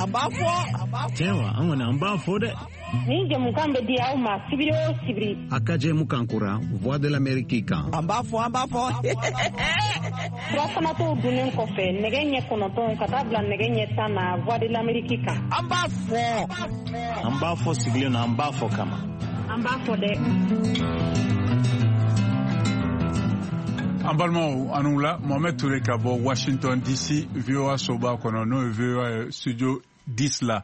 An b'a fɔ. Tiɲɛ wa, an kɔni an b'a fɔ dɛ. Nin jɛmukan bɛ di aw ma sibiri o sibiri. A ka jɛmukan kura Voix de l'Amérique kan. An b'a fɔ, an b'a fɔ. Surafanatɔw dunnen kɔfɛ nɛgɛ ɲɛ 9 ka taa bila nɛgɛ ɲɛ 10 na Voix de l'Amérique kan. An b'a fɔ. An b'a fɔ sigilen na, an b'a fɔ kama. An b'a fɔ dɛ. An balimaw, aw ni wula. Mohamed Touré ka bɔ Washington DC, VOA soba kɔnɔ, n'o ye VOA studio 10 la.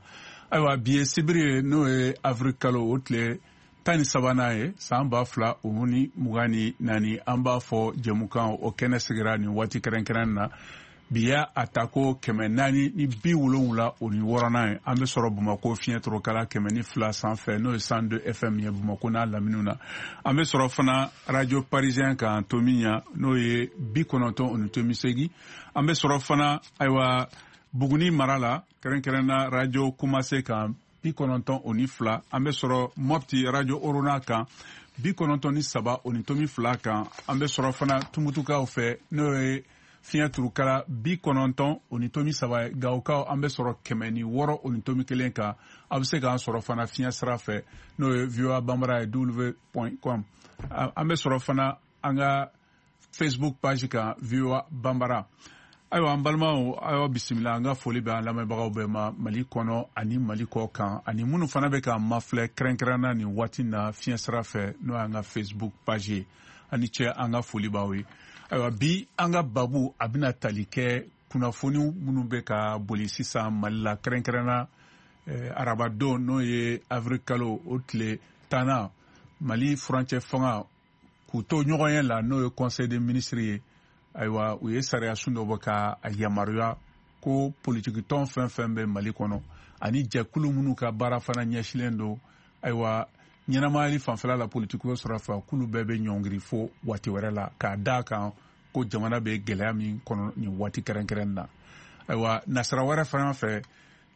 Ayiwa, bi ye sibiri ye, n'o ye avril kalo o tile 13nan ye, san 2024. An b'a fɔ jɛmukan o kɛnɛ sigira nin waati kɛrɛnkɛrɛn na. Bi y'a a ta ko 476nan ye. An bɛ sɔrɔ Bamakɔ fiɲɛ torokala 102 sanfɛ, n'o ye 102 FM ye Bamakɔ n'a laminiw na. An bɛ sɔrɔ fana Radio Parisien kan Tomiɲa, n'o ye 90.8. An bɛ sɔrɔ fana, ayiwa, Buguni mara la, kɛrɛnkɛrɛnna Radio Kumase kan 92. An bɛ sɔrɔ Mopti Radio Orona kan 93.2 kan. An bɛ sɔrɔ fana Tumutukaw fɛ, n'o ye fiɲɛ turukala 90.3 ye. Gawokaw, an bɛ sɔrɔ 106.1 kan. A bɛ se k'an sɔrɔ fana fiɲɛ sira fɛ, n'o ye VOA Bambara ye w point com. An bɛ sɔrɔ fana an ka Facebook page kan VOA Bambara. Ayiwa, an balimaw, ayiwa, bisimila. An ka foli bɛ an lamɛnbagaw bɛɛ ma Mali kɔnɔ ani Mali kɔ kan, ani minnu fana bɛ k'an mafilɛ kɛrɛnkɛrɛnna nin waati na fiɲɛ sira fɛ, n'o y'an ka Facebook page ye. Ani cɛ, an ka foli b'aw ye. Ayiwa, bi an ka babu a bɛna tali kɛ kunnafoni minnu bɛ ka boli sisan Mali la, kɛrɛnkɛrɛnna arabadon, n'o ye avril kalo o tile 10nan, Mali furancɛ fanga k'u to ɲɔgɔn ye la, n'o ye conseil des ministres ye. Ayiwa, u ye sariya sun dɔ bɔ ka a yamaruya ko politikitɔn fɛn fɛn bɛ Mali kɔnɔ ani jɛkulu minnu ka baara fana ɲɛsilen don, ayiwa, ɲɛnamayali fanfɛla la politikiko sira fɛ, k'olu bɛɛ bɛ ɲɔngiri fo waati wɛrɛ la, k'a d'a kan ko jamana bɛ gɛlɛya min kɔnɔ nin waati kɛrɛnkɛrɛn na. Ayiwa, nasira wɛrɛ fana fɛ,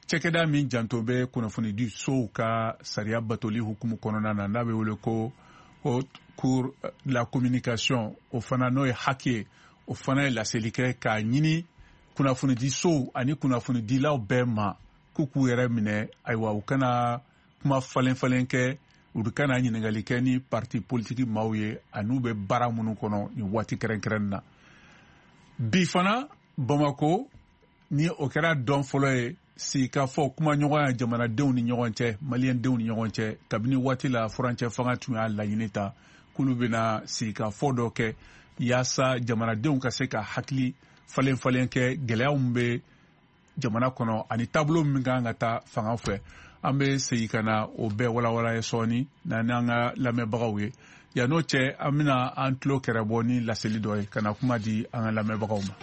cɛkɛda min janto bɛ kunnafonidi sow ka sariya batoli hukumu kɔnɔna na, n'a bɛ wele ko Haute Cour de la Communication, o fana n'o ye HAC ye, o fana ye laseli kɛ k'a ɲini kunnafonidi sow ani kunnafonidilaw bɛɛ ma k'u k'u yɛrɛ minɛ. Ayiwa, u kana kuma falen falen kɛ, u kana ɲininkali kɛ ni parti politiki maaw ye an'u bɛ baara minnu kɔnɔ nin waati kɛrɛnkɛrɛn na. Bi fana Bamako, ni o kɛra dɔn fɔlɔ ye, sigikafɔ kumaɲɔgɔnya jamanadenw ni ɲɔgɔn cɛ, maliyɛndenw ni ɲɔgɔn cɛ, kabini waati la furancɛ fanga tun y'a laɲini ta k'olu bɛna sigikafɔ dɔ kɛ yaasa jamanadenw ka se ka hakili falen falen kɛ gɛlɛyaw min bɛ jamana kɔnɔ ani taabolo min kan ka taa fanga fɛ. An bɛ segin ka na o bɛɛ walawala ye sɔɔni n'an ka lamɛnbagaw ye. Yan n'o cɛ, an bɛna an tulo kɛrɛ bɔ ni laseli dɔ ye ka na kuma di an ka lamɛnbagaw ma.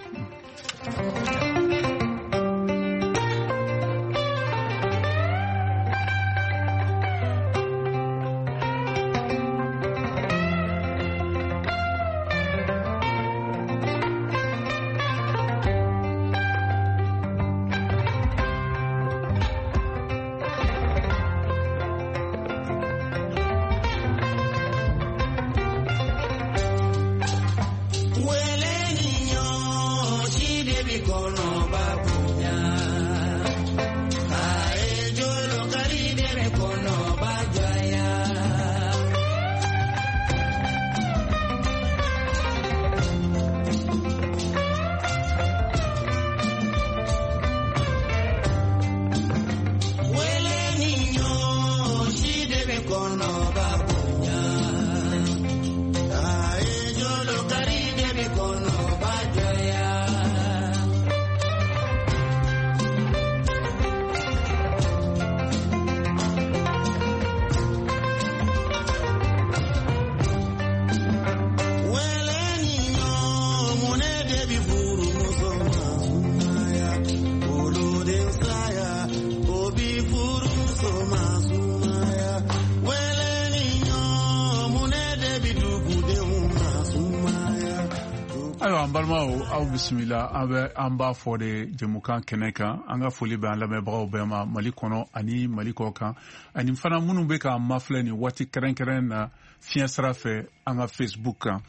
Ayiwa, an balimaw, aw bisimila. An bɛ an b'a fɔ de jɛmukan kɛnɛ kan. An ka foli bɛ an lamɛnbagaw bɛɛ ma Mali kɔnɔ ani Mali kɔ kan, ani fana minnu bɛ k'an mafilɛ nin waati kɛrɛnkɛrɛn na fiɲɛ sira fɛ an ka Facebook kan. N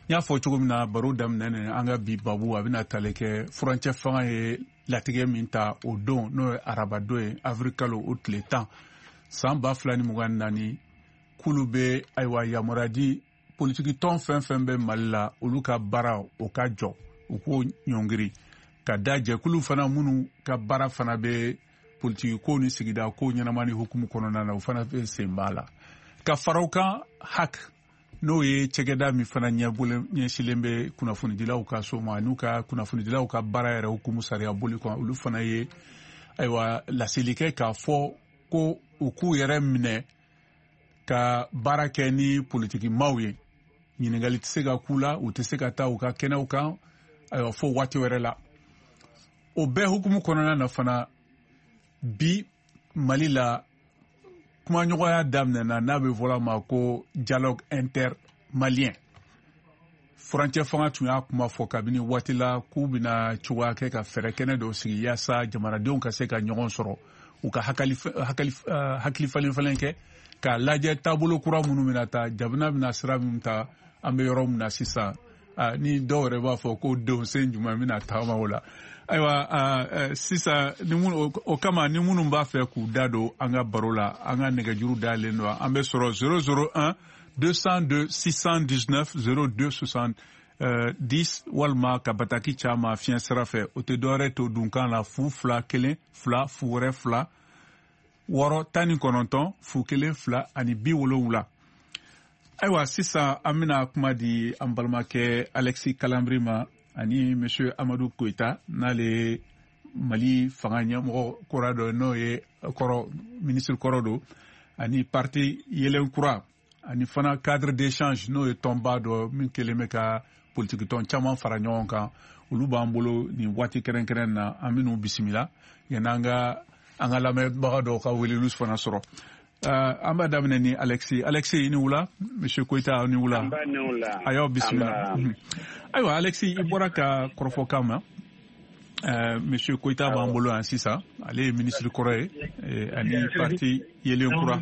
y'a fɔ cogo min na baro daminɛ, an ka bi babu a bɛna tali kɛ furancɛ fanga ye latigɛ min ta o don, n'o ye arabadon ye, avril kalo o tile 10 san 2024, k'olu bɛ ayiwa yamaruya di politiki tɔn fɛn fɛn bɛ Mali la, olu ka baara o ka jɔ, u k'o ɲɔngiri, ka da jɛkulu fana minnu ka baara fana bɛ politiki ko ni sigida ko ɲɛnama ni hukumu kɔnɔna na, o fana bɛ sen b'a la. Ka fara o kan, HAC, n'o ye cɛkɛda min fana ɲɛsilen bɛ kunnafonidilaw ka so ma n'u ka kunnafonidilaw ka baara yɛrɛ hukumu sariya boli kan, olu fana ye ayiwa laseli kɛ k'a fɔ ko u k'u yɛrɛ minɛ ka baara kɛ ni politikimaw ye. Ɲininkali tɛ se ka k'u la, u tɛ se ka taa u ka kɛnɛw kan ayiwa fo waati wɛrɛ la. O bɛɛ hukumu kɔnɔna na fana, bi Mali la kumaɲɔgɔnya daminɛna n'a bɛ fɔla ma ko dialogue intermalien. Furancɛ fanga tun y'a kuma fɔ kabini waati la k'u bɛna cogoya kɛ ka fɛɛrɛ kɛnɛ dɔw sigi yaasa jamanadenw ka se ka ɲɔgɔn sɔrɔ, u ka hakili falen falen kɛ k'a lajɛ taabolo kura minnu bɛna ta, jamana bɛna sira min ta, an bɛ yɔrɔ min na sisan, ni dɔw yɛrɛ b'a fɔ ko donsen jumɛn bɛna taama o la. Ayiwa sisan, ni minnu o kama, ni minnu b'a fɛ k'u da don an ka baro la, an ka nɛgɛjuru dayɛlɛlen don. An bɛ sɔrɔ 001 202 619 02 70, walima ka bataki caman fiɲɛ sira fɛ. O tɛ dɔwɛrɛ to dunkan la 0 2 1 2 0 2 6 19 0 1 2 ani 70. Ayiwa sisan, an bɛna kuma di an balimakɛ Alexis Kalambry ma ani monsieur Amadou Koita, n'ale Mali fanga ɲɛmɔgɔ kura dɔ, n'o ye kɔrɔ ministre kɔrɔ don, ani parti Yelen Kura, ani fana Cadre d'échange, n'o ye tɔnba dɔ min kɛlen bɛ ka politiki tɔn caman fara ɲɔgɔn kan. Olu b'an bolo nin waati kɛrɛnkɛrɛn na, an bɛn'u bisimila yanni an ka an ka lamɛnbaga dɔw ka weleliw fana sɔrɔ. An b'a daminɛ ni Alexis. Alexis, i ni wula. Monsieur Koita, ni wula. A y'aw bisimila. Ayiwa Alexis, i bɔra ka kɔrɔfɔ kan ma. Monsieur Koita b'an bolo yan sisan, ale ye ministre kɔrɔ ye ani parti Yelen Kura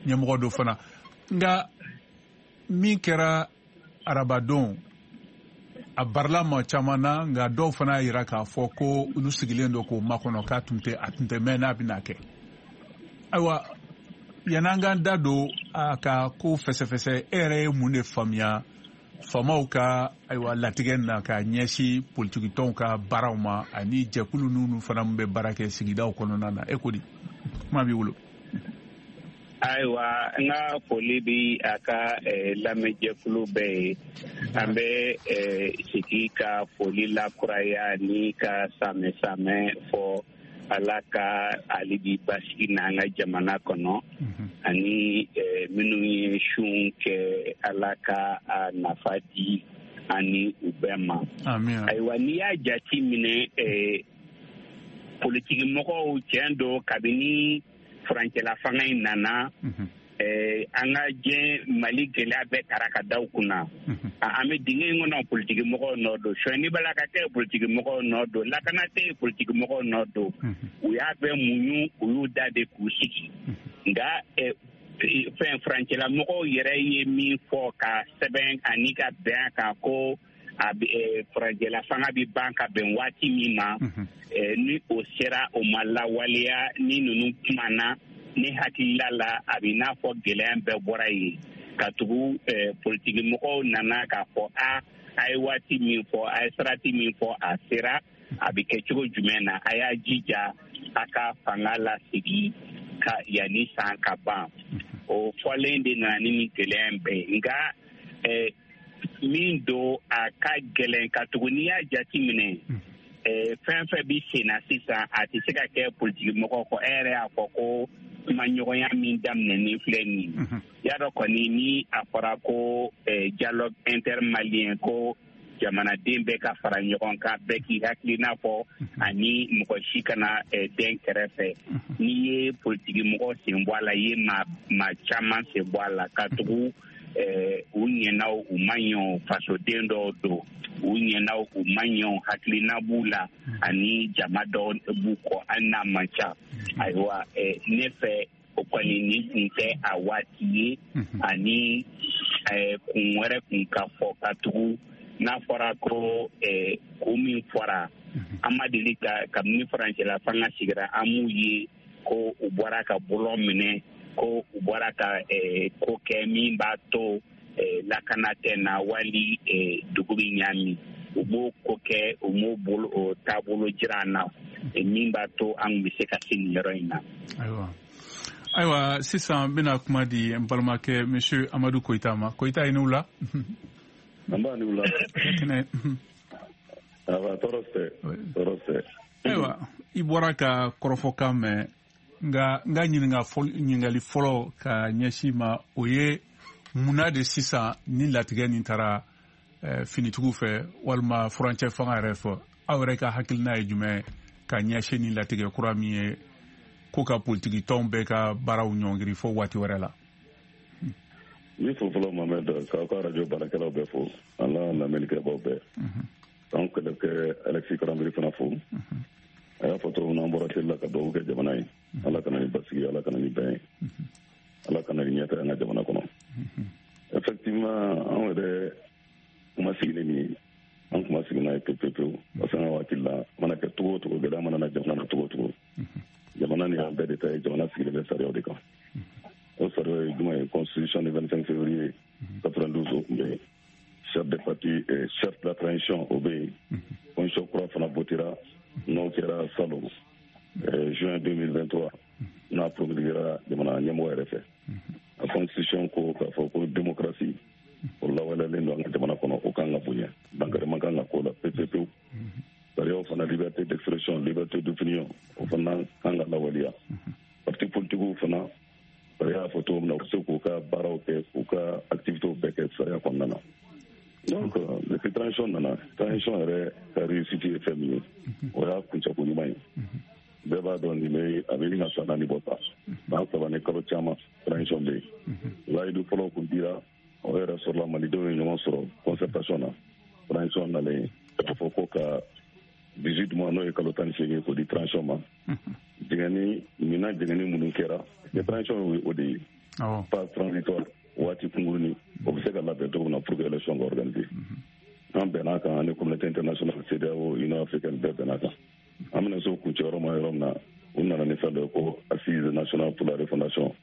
ɲɛmɔgɔ dɔ fana. Nka min kɛra arabadon, a barila ma caman na, nka dɔw fana y'a yira k'a fɔ ko olu sigilen don k'o makɔnɔ, k'a tun tɛ a tun tɛ mɛn n'a bɛna kɛ. Ayiwa, yan'an k'an da don a ka ko fɛsɛfɛsɛ, e yɛrɛ ye mun de faamuya faamaw ka ayiwa latigɛ na ka ɲɛsin politikitɔnw ka baaraw ma ani jɛkulu ninnu fana min bɛ baara kɛ sigidaw kɔnɔna na? E ko di, kuma b'i bolo. Ayiwa, n ka foli bi a ka lamɛnjɛkulu bɛɛ ye. An bɛ sigi ka foli lakuraya ni ka samɛ samɛ fɔ Ala ka hali bi basigi n'an ka jamana kɔnɔ, ani minnu ye sun kɛ, Ala ka a nafa di ani u bɛɛ ma. Ayiwa, n'i y'a jate minɛ, politiki mɔgɔw, tiɲɛ don, kabini furancɛla fanga in nana, an ka diɲɛ Mali gɛlɛya bɛɛ taara ka da u kunna. An bɛ dingɛ in kɔnɔ, politiki mɔgɔw nɔ don. Sonyɛni b'a la ka kɛ, politiki mɔgɔw nɔ don. Lakana tɛ yen, politiki mɔgɔw nɔ don. U y'a bɛɛ muɲu, u y'u da de k'u sigi. Nka fɛn furancɛla mɔgɔw yɛrɛ ye min fɔ ka sɛbɛn ani ka bɛn a kan ko a furancɛla fanga bɛ ban ka bɛn waati min ma, ni o sera, o ma lawaleya, ni ninnu kumana, ne hakilila la, a bɛ n'a fɔ gɛlɛya bɛɛ bɔra yen, ka tugu politiki mɔgɔw nana k'a fɔ a ye waati min fɔ, a ye sarati min fɔ, a sera, a bɛ kɛ cogo jumɛn na, a y'a jija a ka fanga lasigi ka yanni san ka ban. O fɔlen de nana ni nin gɛlɛya in bɛɛ ye. Nka min don, a ka gɛlɛn, ka tugu n'i y'a jate minɛ, fɛn fɛn bɛ sen na sisan, a tɛ se ka kɛ politiki mɔgɔ kɔ. E yɛrɛ y'a fɔ ko kumaɲɔgɔnya min daminɛnen filɛ nin ye, y'a dɔn kɔni, ni a fɔra ko dialogue intermalien, ko jamanaden bɛɛ ka fara ɲɔgɔn kan, bɛɛ k'i hakilina fɔ ani mɔgɔ si kana den kɛrɛfɛ, n'i ye politiki mɔgɔ sen bɔ a la, i ye maa caman sen bɔ a la, ka tugu u ɲɛna o, u ma ɲɛ o, fasoden dɔw don, u ɲɛna o, u ma ɲɛ o, hakilina b'u la ani jama dɔw b'u kɔ, hali n'a man ca. Ayiwa, ne fɛ o kɔni, nin tun tɛ a waati ye, ani kun wɛrɛ kun ka fɔ, ka tugu n'a fɔra ko kun min fɔra. An ma deli ka kabini furancɛla fanga sigira an m'u ye ko u bɔra ka bɔlɔn minɛ, ko u bɔra ka ko kɛ min b'a to lakana tɛ na wali dugu bɛ ɲaami. U b'o ko kɛ, u m'o bolo o taabolo jira an na min b'a to an bɛ se ka se nin yɔrɔ in na. Ayiwa, sisan n bɛna kuma di n balimakɛ monsieur Amadu Koyita ma. Koyita, i ni wula. An b'a ni wula. Awa, tɔɔrɔ tɛ, tɔɔrɔ tɛ. Ayiwa, i bɔra ka kɔrɔfɔkan mɛn, nka n ka ɲininkali fɔlɔ ka ɲɛsin ma, o ye munna de sisan ni latigɛ nin taara finitigiw fɛ walima furancɛ fanga yɛrɛ fɛ? Aw yɛrɛ ka hakilina ye jumɛn ka ɲɛsin ni latigɛ kura min ye ko ka politiki tɔnw bɛɛ ka baaraw ɲɔngiri fo waati wɛrɛ la? N b'i fo fɔlɔ, Mohamed, k'aw ka arajo baarakɛlaw bɛɛ fo, an n'a lamɛnnikɛbaw bɛɛ. K'an kɛlɛkɛ Alexis Karanbiri fana fo. A y'a fɔ cogo min na, an bɔra seli la ka dugawu kɛ jamana ye. Ala kana ni basigi, Ala kana ni bɛn ye, Ala kana ni ɲɛta an ka jamana kɔnɔ. Effectivement, anw yɛrɛ kuma sigi ni nin ye, an kuma sigi n'a ye pewu pewu pewu, parce que an ka hakili la, mana kɛ cogo o cogo, gɛlɛya mana na jamana na cogo o cogo, jamana ni an bɛɛ de ta ye. Jamana sigilen bɛ sariyaw de kan. O sariya ye jumɛn ye? Constitution du 25 février 92, o tun bɛ yen. Charte des partis, charte de la transition, o bɛ yen. Constitution kura fana votera, n'o kɛra salon juin 2023, n'a promulguera jamana ɲɛmɔgɔ yɛrɛ fɛ. A constitution ko k'a fɔ ko démocratie, o lawaleyalen don an ka jamana kɔnɔ, o kan ka bonya, dankari man kan ka k'o la pewu pewu pewu. Sariyaw fana, liberté d'expression, liberté d'opinion, o fana kan ka lawaleya. Parti politikiw fana, sariya y'a fɔ cogo min na, u bɛ se k'u ka baaraw kɛ, k'u ka activités bɛɛ kɛ sariya kɔnɔna na. Donc depuis transition nana, transition yɛrɛ ka réussite ye fɛn min ye, o y'a kuncɛko ɲuman ye. Bɛɛ b'a dɔn nin bɛ a bɛ ɲini ka san 4 bɔ ta, san 3 ni kalo caman transition bɛ yen. Layidu fɔlɔ kun dira, o yɛrɛ sɔrɔla, malidenw ye ɲɔgɔn sɔrɔ concertation na. Transition nalen, k'a fɔ ko ka 18 mois, n'o ye kalo 18, k'o di transition ma. Jɛngɛni minan jɛngɛni minnu kɛra, transition ye o de ye, phase transitoire, waati kunkurunin, o bɛ se ka labɛn cogo min na pour que élection ka organiser. An bɛn'a kan ani communauté internationale, CEDEAO, Union africaine, bɛɛ bɛn'a kan. An bɛna se o kuncɛ yɔrɔ ma yɔrɔ min na, u nana ni fɛn dɔ ye ko assise nationale pour la refondation,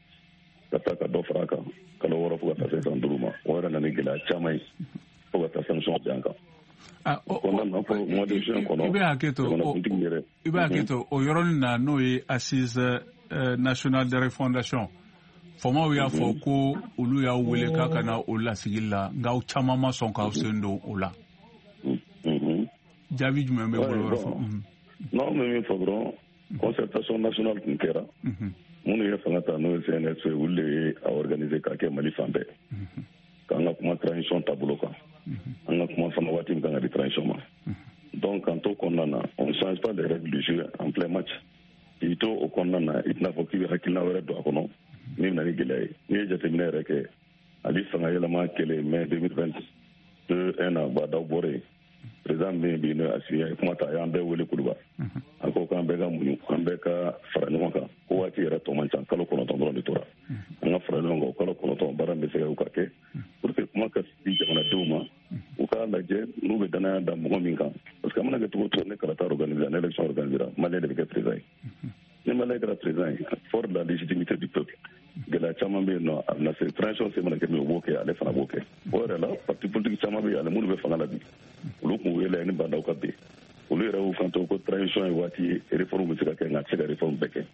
ka taa ka dɔ fara a kan kalo 6 fo ka taa se san 5 ma. O yɛrɛ nana ni gɛlɛya caman ye fo ka taa sanction bin an kan. Kɔnɔna na, fɔ mois de juin kɔnɔ, i bɛ hakɛ to, jamanakuntigi yɛrɛ i bɛ hakɛ to o yɔrɔnin na, n'o ye assise nationale de refondation, faamaw y'a fɔ ko olu y'aw wele k'a ka na o lasigi la, nka aw caman ma sɔn k'aw sen don o la. Jaabi jumɛn bɛ bolo yɔrɔ fɔ? Non, n bɛ min fɔ dɔrɔn, concertation nationale tun kɛra. Minnu ye fanga ta, n'o ye CNSP, olu de ye a organiser k'a kɛ Mali fan bɛɛ, k'an ka kuma transition taabolo kan, an ka kuma fana waati min kan ka di transition ma. Donc k'an to kɔnɔna na, on ne change pas les règles du jeu en plein match. K'i to o kɔnɔna na, i tɛna fɔ k'i bɛ hakilina wɛrɛ don a kɔnɔ min bɛ na ni gɛlɛya ye. N'i ye jateminɛ yɛrɛ kɛ, hali fanga yɛlɛma kɛlen mai 2022, un an Bah N'Daw bɔra yen, président min bɛ yen bi, n'o ye Assimi, ye kuma ta, a y'an bɛɛ wele Kuluba. A ko k'an bɛɛ ka muɲu, an bɛɛ ka fara ɲɔgɔn kan, ko waati yɛrɛ tɔ man ca, kalo 9 dɔrɔn de tora. An ka fara ɲɔgɔn kan, o kalo 9 baara min bɛ se ka ka kɛ pour que kuma ka di jamanadenw ma, u k'a lajɛ n'u bɛ danaya da mɔgɔ min kan, parce que a mana kɛ cogo o cogo, ne kalata organiser, ni élection organiser, malien de bɛ kɛ président ye. Ni malien kɛra président ye, fort de la légitimité du peuple, gɛlɛya caman bɛ yen nɔ, a bɛna se transition se mana kɛ min ye, o b'o kɛ, ale fana b'o kɛ. O yɛrɛ la, parti politique caman bɛ yen ani minnu bɛ fanga la bi, olu kun wele ni Bah N'Daw ka bin, olu yɛrɛ y'u kanto ko transition ye waati ye, réforme bɛ se ka kɛ, nka a tɛ se ka réforme bɛɛ kɛ,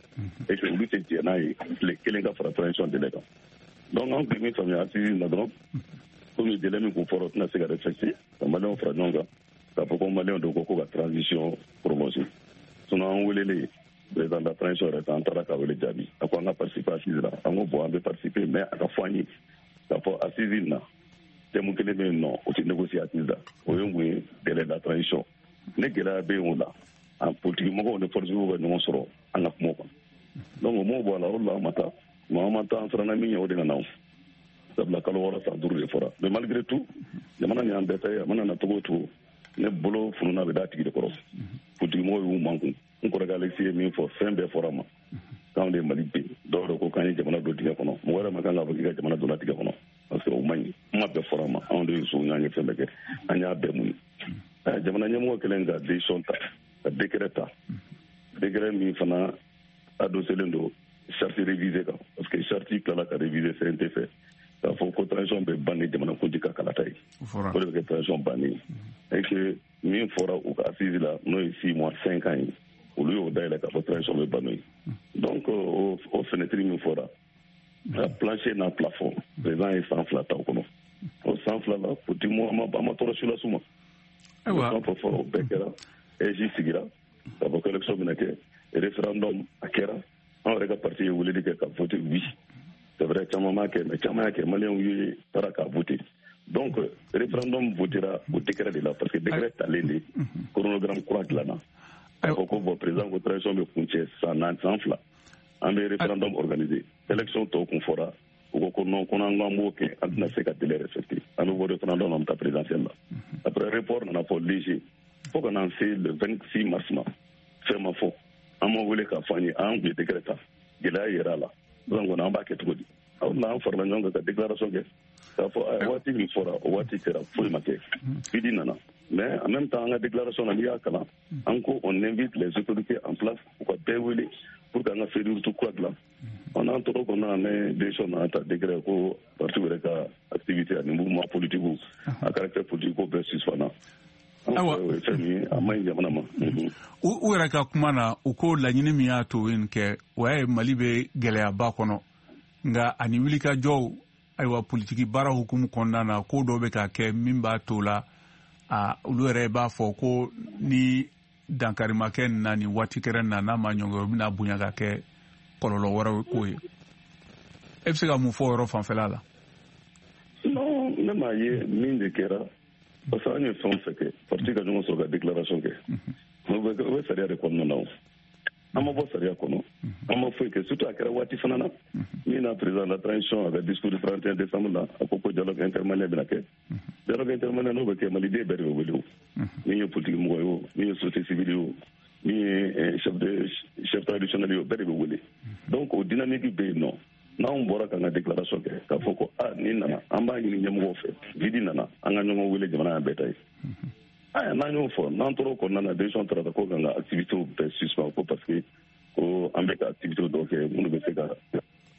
et que olu tɛ jɛn n'a ye tile kelen ka fara transition délai kan. Donc an kun ye min faamuya assise na dɔrɔn, komi délai min kun fɔra, o tɛna se ka respecter, ka maliyɛnw fara ɲɔgɔn kan k'a fɔ ko maliyɛnw de ko ka transition prolonger. Sinon an welelen, président de la transition yɛrɛ an taara ka wele jaabi, a ko an ka participer assise la. An ko bon, an bɛ participer, mais a ka fɔ an ye k'a fɔ assise na, thème kelen bɛ yen nɔ, o tɛ négocier assise la, o ye mun ye? Délai de la transition. Ne gɛlɛya bɛ yen o la, an politique mɔgɔw ni force ka ɲɔgɔn sɔrɔ an ka kuma kan. Donc o m'o bɔ a la, o de la an ma taa. Mais an ma taa, an siranna min ɲɛ, o de nana o, sabula kalo 6 san 5 de fɔra. Mais malgré tout, jamana ni y'an bɛɛ ta ye. A mana na cogo o cogo, ne bolo fununa bɛ d'a tigi de kɔrɔ. Politique mɔgɔw y'u mankun. N kɔrɔkɛ Alexis ye min fɔ, fɛn bɛɛ fɔra ma k'anw de ye Mali ben. Dɔw yɛrɛ ko k'an ye jamana don dingɛ kɔnɔ. Mɔgɔ yɛrɛ ma kan k'a fɔ k'i ka jamana donna dingɛ kɔnɔ, parce que o man ɲi. Kuma bɛɛ fɔra ma, anw de ye so, an ye fɛn bɛɛ kɛ, an y'a bɛɛ muɲu. Jamana ɲɛmɔgɔ kɛlen ka décision ta. Ka décret ta, décret min fana adosselen don charte révisée kan, parce que charte tilala ka réviser CNT fɛ k'a fɔ ko transition bɛ ban ni jamanakuntigi ka kalata ye, o de bɛ kɛ transition bannen ye. Et que min fɔra u ka assise la, n'o ye 6 mois 5 ans ye, olu y'o dayɛlɛ k'a fɔ transition bɛ ban n'o ye. Donc o fenêtre min fɔra, a plancher n'a plafond, président ye san 2 ta o kɔnɔ. O san 2 la, politique mɔgɔ an ma tɔɔrɔ si las'u ma. Ayiwa, fɛn fɔra, o bɛɛ kɛra. AIGE sigira k'a fɔ ko élection bɛna kɛ, référendum a kɛra. An yɛrɛ ka parti ye weleli kɛ ka voter oui. C'est vrai, caman m'a kɛ, mais caman y'a kɛ, maliyɛnw ye taara k'a voter. Donc référendum votera o décret de la, parce que décret talen de chronogramme kura dilanna. K'a fɔ ko bon, président ko transition bɛ kuncɛ san 2, an bɛ référendum organiser. Élection tɔw kun fɔra, u ko non, ko n'an ko an b'o kɛ, an tɛna se ka délai respecter, an bɛ bɔ référendum, an bɛ taa présidentielle la. Après, report nana fɔ léger fo ka n'an se le 26 mars ma, fɛn ma fɔ. An ma wele k'a fɔ an ye an tun ye décret ta, gɛlɛya yera a la. Sisan kɔni an b'a kɛ cogo di? Aw na an farala ɲɔgɔn kan ka déclaration kɛ k'a fɔ waati min fɔra, o waati sera, foyi ma kɛ, vide nana. Mais en même temps, an ka déclaration na, n'i y'a kalan, an ko on invite les autorités en place u ka bɛɛ wele pour que an ka feuille de route kura dilan. An n'an tɔgɔ kɔnɔna na, ne décision nana ta, décret ko parti yɛrɛ ka activité ani mouvement politique a caractère politique ko bɛɛ suspend. Ayiwa, fɛn min a man ɲi jamana ma. U yɛrɛ ka kuma na, u ko laɲini min y'a to nin kɛ, o y'a ye Mali bɛ gɛlɛyaba kɔnɔ, nka ani wulikajɔw, ayiwa, politiki baara hukumu kɔnɔna na, ko dɔw bɛ ka kɛ min b'a to la, a olu yɛrɛ b'a fɔ ko ni dankari ma kɛ nin na nin waati kɛrɛn na, n'a ma ɲɔngiri, o bɛna bonya ka kɛ kɔlɔlɔ wɛrɛw ko ye. E bɛ se ka mun fɔ o yɔrɔ fanfɛla la? Non, ne m'a ye min de kɛra, parce que an ye fɛn o fɛn kɛ, parti ka ɲɔgɔn sɔrɔ ka déclaration kɛ, o bɛ sariya de kɔnɔna na. O an ma bɔ sariya kɔnɔ, an ma foyi kɛ. Surtout a kɛra waati fana na min na, président de la transition a ka discours du 31 décembre la, a ko ko dialogue intermalien bɛna kɛ. Dialogue intermalien n'o bɛ kɛ, maliden bɛɛ de bɛ wele, o min ye politique mɔgɔ ye, o min ye société civile ye, o min ye chef traditionnel ye, o bɛɛ de bɛ wele. Donc o dynamique bɛ yen nɔ. N'anw bɔra k'an ka déclaration kɛ k'a fɔ ko a nin nana, an b'a ɲini ɲɛmɔgɔw fɛ, vide nana, an ka ɲɔgɔn wele, jamana y'an bɛɛ ta ye. Aya, n'an y'o fɔ, n'an tora o kɔnɔna na, décision taara ko k'an ka activité bɛɛ suspend, ko parce que ko an bɛ ka activité dɔw kɛ minnu bɛ se ka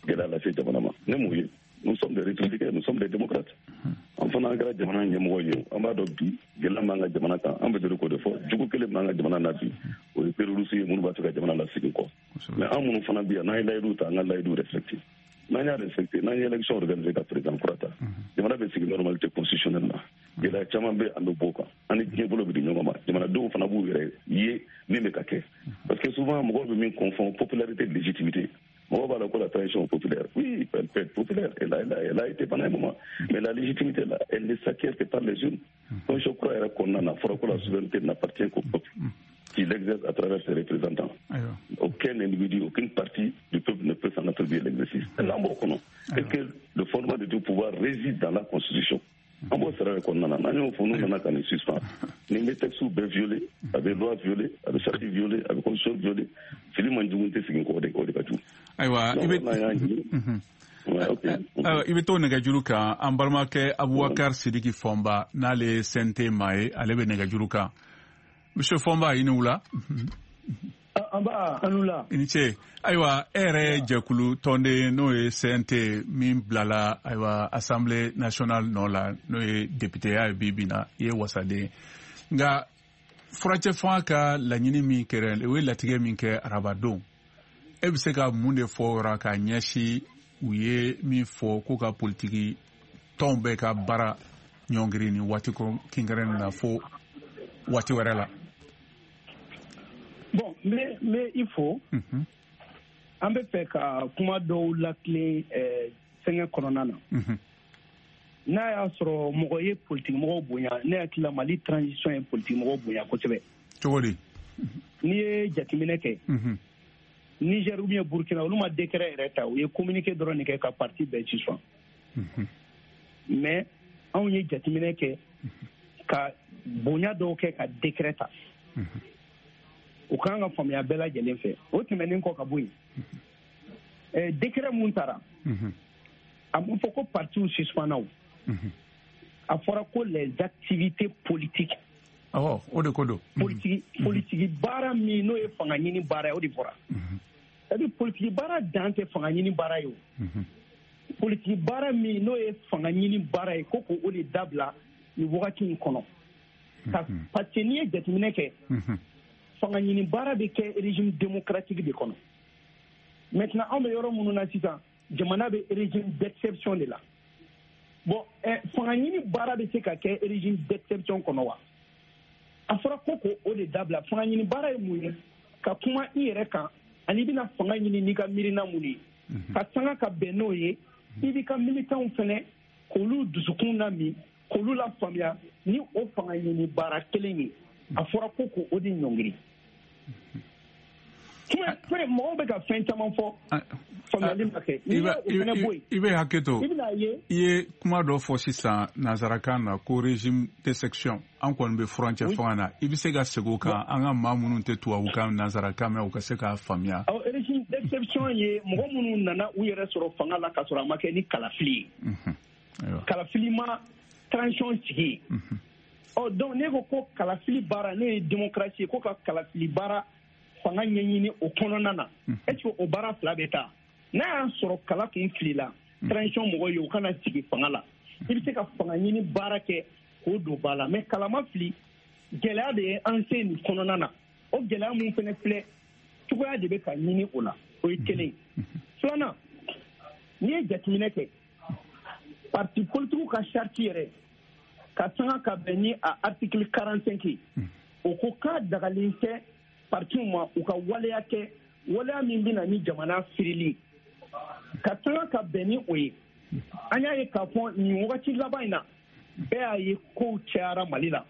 gɛlɛya lase jamana ma. Ne m'o ye. Nous sommes des républicains, nous sommes des démocrates. An fana an kɛra jamana ɲɛmɔgɔ ye, an b'a dɔn bi gɛlɛya b'an ka jamana kan, an bɛ deli k'o de fɔ. Jugu kelen b'an ka jamana na bi, o ye terroriste ye minnu b'a fɛ ka jamana lasegin kɔ. Mais an minnu fana bi yan, n'an ye layidu ta, an ka layidu respecter. N'an y'a respecté, n'an ye élection organisée ka président kura ta, jamana bɛ sigi normalité constitutionnelle la. Gɛlɛya caman bɛ, an bɛ bɔ o kan, an ni diɲɛ bolo bɛ di ɲɔgɔn ma, jamanadenw fana b'u yɛrɛ ye min bɛ ka kɛ. Parce que souvent mɔgɔw bɛ min confond, popularité, légitimité. Mɔgɔw b'a la ko la transition populaire, oui, elle peut être populaire, elle a été pendant un moment, mais la légitimité là, elle ne s'acquiert que par les urnes. Constitution kura yɛrɛ kɔnɔna na, fɔra ko la souveraineté n'appartient qu'au peuple qui l'exerce à travers ses représentants. Aucun individu, aucune partie du peuple ne peut s'en attribuer l'exercice. Là, on et que le fondement de tout pouvoir réside dans la Constitution. An b'o sira de kɔnɔna na, n'an y'o fɔ, n'u nana ka nin suspend, nin bɛ texte bɛɛ violer, a bɛ loi violer, a bɛ charte violer, a bɛ constitution violer. Fili man jugu tɛ segin kɔ, o de ka jugu. Ayiwa, i bɛ to nɛgɛjuru kan. An balimakɛ Abubakar Sidiki Fɔnba, n'ale ye CNT maa ye, ale bɛ nɛgɛjuru kan. Monsieur Fɔnba, i ni wula. An b'a an wula. I ni ce. Ayiwa, e yɛrɛ ye jɛkulu tɔnden n'o ye CNT min bilala, ayiwa, Assemblée nationale nɔ la, n'o ye députéya ye bi bi na, i ye wasaden. Nka furacɛ fanga ka laɲini min kɛra, o ye latigɛ min kɛ arabadon, e bɛ se ka mun de fɔ o yɔrɔ ka ɲɛsin u ye min fɔ ko ka politiki tɔnw bɛɛ ka baara ɲɔngiri nin waati kinkɛrɛn na fo waati wɛrɛ la? Bon, n bɛ i fo. An bɛ fɛ ka kuma dɔw latilen fɛngɛ kɔnɔna na. N'a y'a sɔrɔ mɔgɔ ye politiki mɔgɔw bonya, ne hakili la Mali transition ye politiki mɔgɔw bonya kosɛbɛ. Cogo di? N'i ye jateminɛ kɛ, Niger ou bien Burkina, olu ma décret yɛrɛ ta, u ye communiqué dɔrɔn de kɛ ka parti bɛɛ suspend. Mais anw ye jateminɛ kɛ ka bonya dɔw kɛ ka décret ta. O kan ka faamuya bɛɛ lajɛlen fɛ. O tɛmɛnen kɔ ka bɔ yen, décret mun taara, a ma fɔ ko partiw suspendna o. A fɔra ko les activités politiques Awɔ, o de ko don. Politiki baara min n'o ye fanga ɲini baara ye, o de fɔra. C'est-à-dire politiki baara dan tɛ fanga ɲini baara ye o. Politiki baara min n'o ye fanga ɲini baara ye, ko k'o de dabila nin wagati in kɔnɔ. Parce que n'i ye jateminɛ kɛ, fanga ɲini baara bɛ kɛ régime démocratique de kɔnɔ. Maintenant anw bɛ yɔrɔ minnu na sisan, jamana bɛ régime d'exception de la. Bon, fanga ɲini baara bɛ se ka kɛ régime d'exception kɔnɔ wa? A fɔra ko k'o de dabila. Fanga ɲini baara ye mun ye? Ka kuma i yɛrɛ kan, ani i bɛna fanga ɲini n'i ka miirina mun ye, ka sanga ka bɛn n'o ye, i b'i ka militants fɛnɛ k'olu dusukun lami, k'olu lafaamuya ni o fanga ɲini baara kelen ye. A fɔra ko k'o de ɲɔngiri. Kuma mɔgɔw bɛ ka fɛn caman fɔ, faamuyali ma kɛ. N'i y'o fɛnɛ bɔ yen, i bɛ hakɛ to, i bɛna ye. I ye kuma dɔ fɔ sisan nansarakan na ko régime d'exception, an kɔni bɛ furancɛ fanga na. I bɛ se ka segin o kan, an ka maa minnu tɛ tubabukan nansarakan mɛn, u ka se k'a faamuya. Awɔ, régime d'exception ye mɔgɔ minnu nana u yɛrɛ sɔrɔ fanga la k'a sɔrɔ a ma kɛ ni kalafili ye. Kalafili ma transition sigi. Ɔ donc ne ko kalafili baara, ne ye démocratie ye, ko ka kalafili baara fanga ɲɛɲini o kɔnɔna na, est-ce que o baara fila bɛ taa? N'a y'a sɔrɔ kala kun filila transition mɔgɔw ye, u kana sigi fanga la, i bɛ se ka fanga ɲini baara kɛ k'o don ba la. Mais kala ma fili, gɛlɛya de ye an se nin kɔnɔna na. O gɛlɛya mun fɛnɛ filɛ, cogoya de bɛ ka ɲini o la. O ye kelen. Filanan, n'i ye jateminɛ kɛ, parti politique ka charte yɛrɛ ka sanga ka bɛn ni a article 45 ye, o ko k'a dagalen tɛ partiw ma u ka waleya kɛ, waleya min bɛ na ni jamana firili, ka sanga ka bɛn ni o ye. An y'a ye k'a fɔ nin wagati laban in na, bɛɛ y'a ye kow cayara Mali la.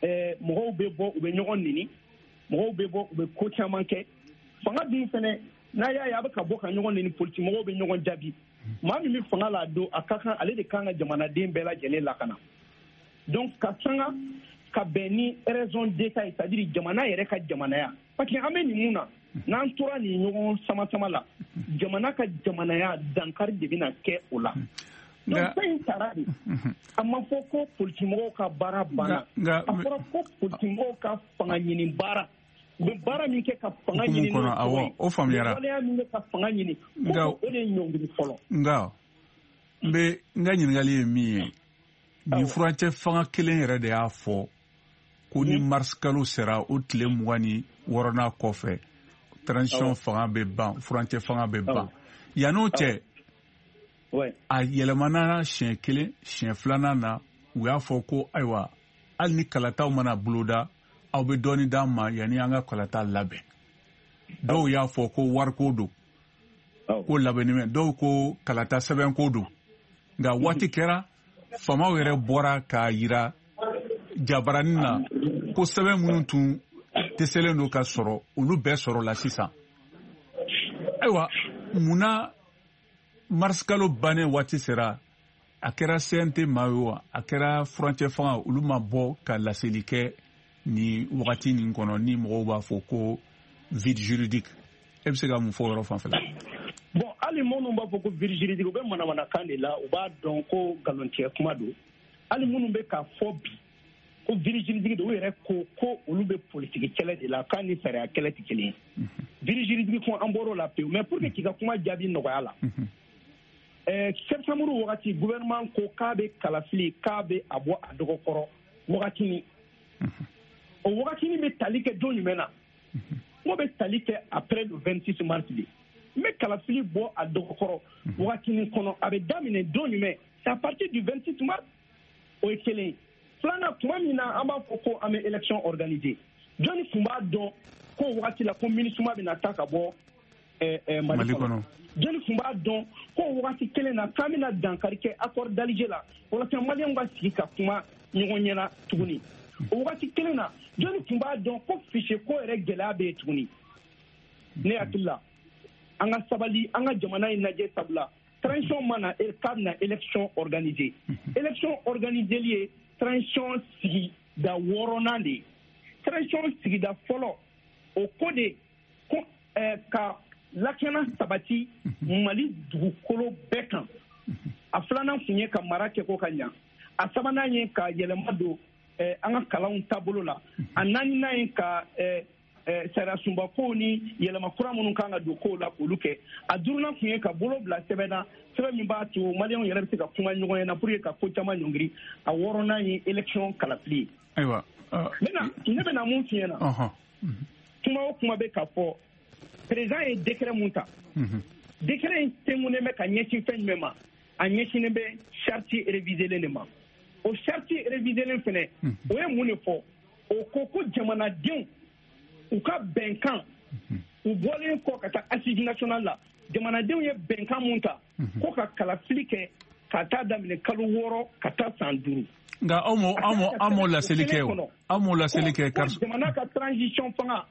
Mɔgɔw bɛ bɔ, u bɛ ɲɔgɔn nini, mɔgɔw bɛ bɔ, u bɛ ko caman kɛ. Fanga dun fɛnɛ, n'a y'a ye a bɛ ka bɔ ka ɲɔgɔn nini, politique mɔgɔw bɛ ɲɔgɔn jaabi. Maa min bɛ fanga la don, a ka kan ale de kan ka jamanaden bɛɛ lajɛlen lakana. Donc ka sanga ka bɛn ni raison d'état ye, c'est-à-dire jamana yɛrɛ ka jamanaya. Parce que an bɛ nin mun na, n'an tora nin ɲɔgɔn sama sama la, jamana ka jamanaya dankari de bɛna kɛ o la. Donc fɛn in taara de, a ma fɔ ko politimɔgɔw ka baara banna, a fɔra ko politimɔgɔw ka fanga ɲini baara, u bɛ baara min kɛ ka fanga ɲini n'o tɔgɔ ye, o faamuyara, waleya min kɛ ka fanga ɲini, ko o de ye ɲɔngiri fɔlɔ. Nka n bɛ n ka ɲininkali ye min ye, nin furancɛ fanga kelen yɛrɛ de y'a fɔ ko ni mars kalo sera, o tile 26nan kɔfɛ, transition fanga bɛ ban, furancɛ fanga bɛ ban. Yann'o cɛ, a yɛlɛmana siɲɛ kelen, siɲɛ filanan na, u y'a fɔ ko ayiwa, hali ni kalataw mana boloda, aw bɛ dɔɔni d'an ma yanni an ka kalata labɛn. Dɔw y'a fɔ ko wariko don, ko labɛnni bɛ, dɔw ko kalata sɛbɛnko don. Nka waati kɛra, faamaw yɛrɛ bɔra k'a yira jabaranin na ko sɛbɛn minnu tun dɛsɛlen don ka sɔrɔ, olu bɛɛ sɔrɔla sisan. Ayiwa, munna mars kalo bannen waati sera, a kɛra CNT maa ye wa, a kɛra furancɛ fanga, olu ma bɔ ka laseli kɛ nin wagati nin kɔnɔ, ni mɔgɔw b'a fɔ ko vide juridique? E bɛ se ka mun fɔ o yɔrɔ fanfɛla? Bon, hali minnu b'a fɔ ko vide juridique, u bɛ manamanakan de la, u b'a dɔn ko nkalontigɛ kuma don. Hali minnu bɛ k'a fɔ bi ko vide juridique don, u yɛrɛ ko olu bɛ politiki kɛlɛ de la, k'a ni sariya kɛlɛ tɛ kelen ye. Vide juridique ko an bɔr'o la pewu. Mais pour que k'i ka kuma jaabi nɔgɔya la, septembre wagati gouvernement ko k'a bɛ kalafili, k'a bɛ a bɔ a dɔgɔkɔrɔ wagatinin. O wagatinin bɛ tali kɛ don jumɛn na? N ko bɛ tali kɛ après le 26 mars de. N bɛ kalafili bɔ a dɔgɔkɔrɔ wagatinin kɔnɔ, a bɛ daminɛ don jumɛn? C'est à partir du 26 mars. O ye kelen ye. Filanan, tuma min na an b'a fɔ ko an bɛ élection organiser, jɔnni tun b'a dɔn ko wagati la ko MINUSMA bɛna taa ka bɔ Mali kɔnɔ? Jɔnni tun b'a dɔn ko wagati kelen na k'an bɛna dankari kɛ accord d'Alger la walasa maliyɛnw ka sigi ka kuma ɲɔgɔn ɲɛna tuguni? O wagati kelen na, jɔnni tun b'a dɔn ko fichier ko yɛrɛ gɛlɛya bɛ yen tuguni? Ne hakili la, an ka sabali, an ka jamana in lajɛ, sabula transition ma na k'a bɛna élection organiser. Élection organiseli ye transition sigida 6nan de ye. Transition sigida fɔlɔ, o ko de ko ka lakana sabati Mali dugukolo bɛɛ kan. A filanan tun ye ka mara kɛ ko ka ɲa. A sabanan ye ka yɛlɛma don an ka kalanw taabolo la. A naaninan ye ka sariya sunba kow ni yɛlɛma kura minnu kan ka don kow la k'olu kɛ. A duurunan tun ye ka bolo bila sɛbɛn na, sɛbɛn min b'a to maliyɛnw yɛrɛ bɛ se ka kuma ɲɔgɔn ɲɛna pour que ka ko caman ɲɔngiri. A wɔɔrɔnan ye élection kalafili ye. Ayiwa, ne bɛna mun f'i ɲɛna, kuma o kuma bɛ ka fɔ, président ye décret mun ta, décret in tɛnkunnen bɛ ka ɲɛsin fɛn jumɛn ma? A ɲɛsinnen bɛ charte révisée de ma. O charte révisée fɛnɛ, o ye mun de fɔ? O ko ko jamanadenw u ka bɛnkan, u bɔlen kɔ ka taa assise nationale la, jamanadenw ye bɛnkan mun ta ko ka kalafili kɛ ka taa daminɛ kalo 6 ka taa san 5. Nka aw m'o laseli kɛ o, aw m'o laseli kɛ. Jamana ka transition fanga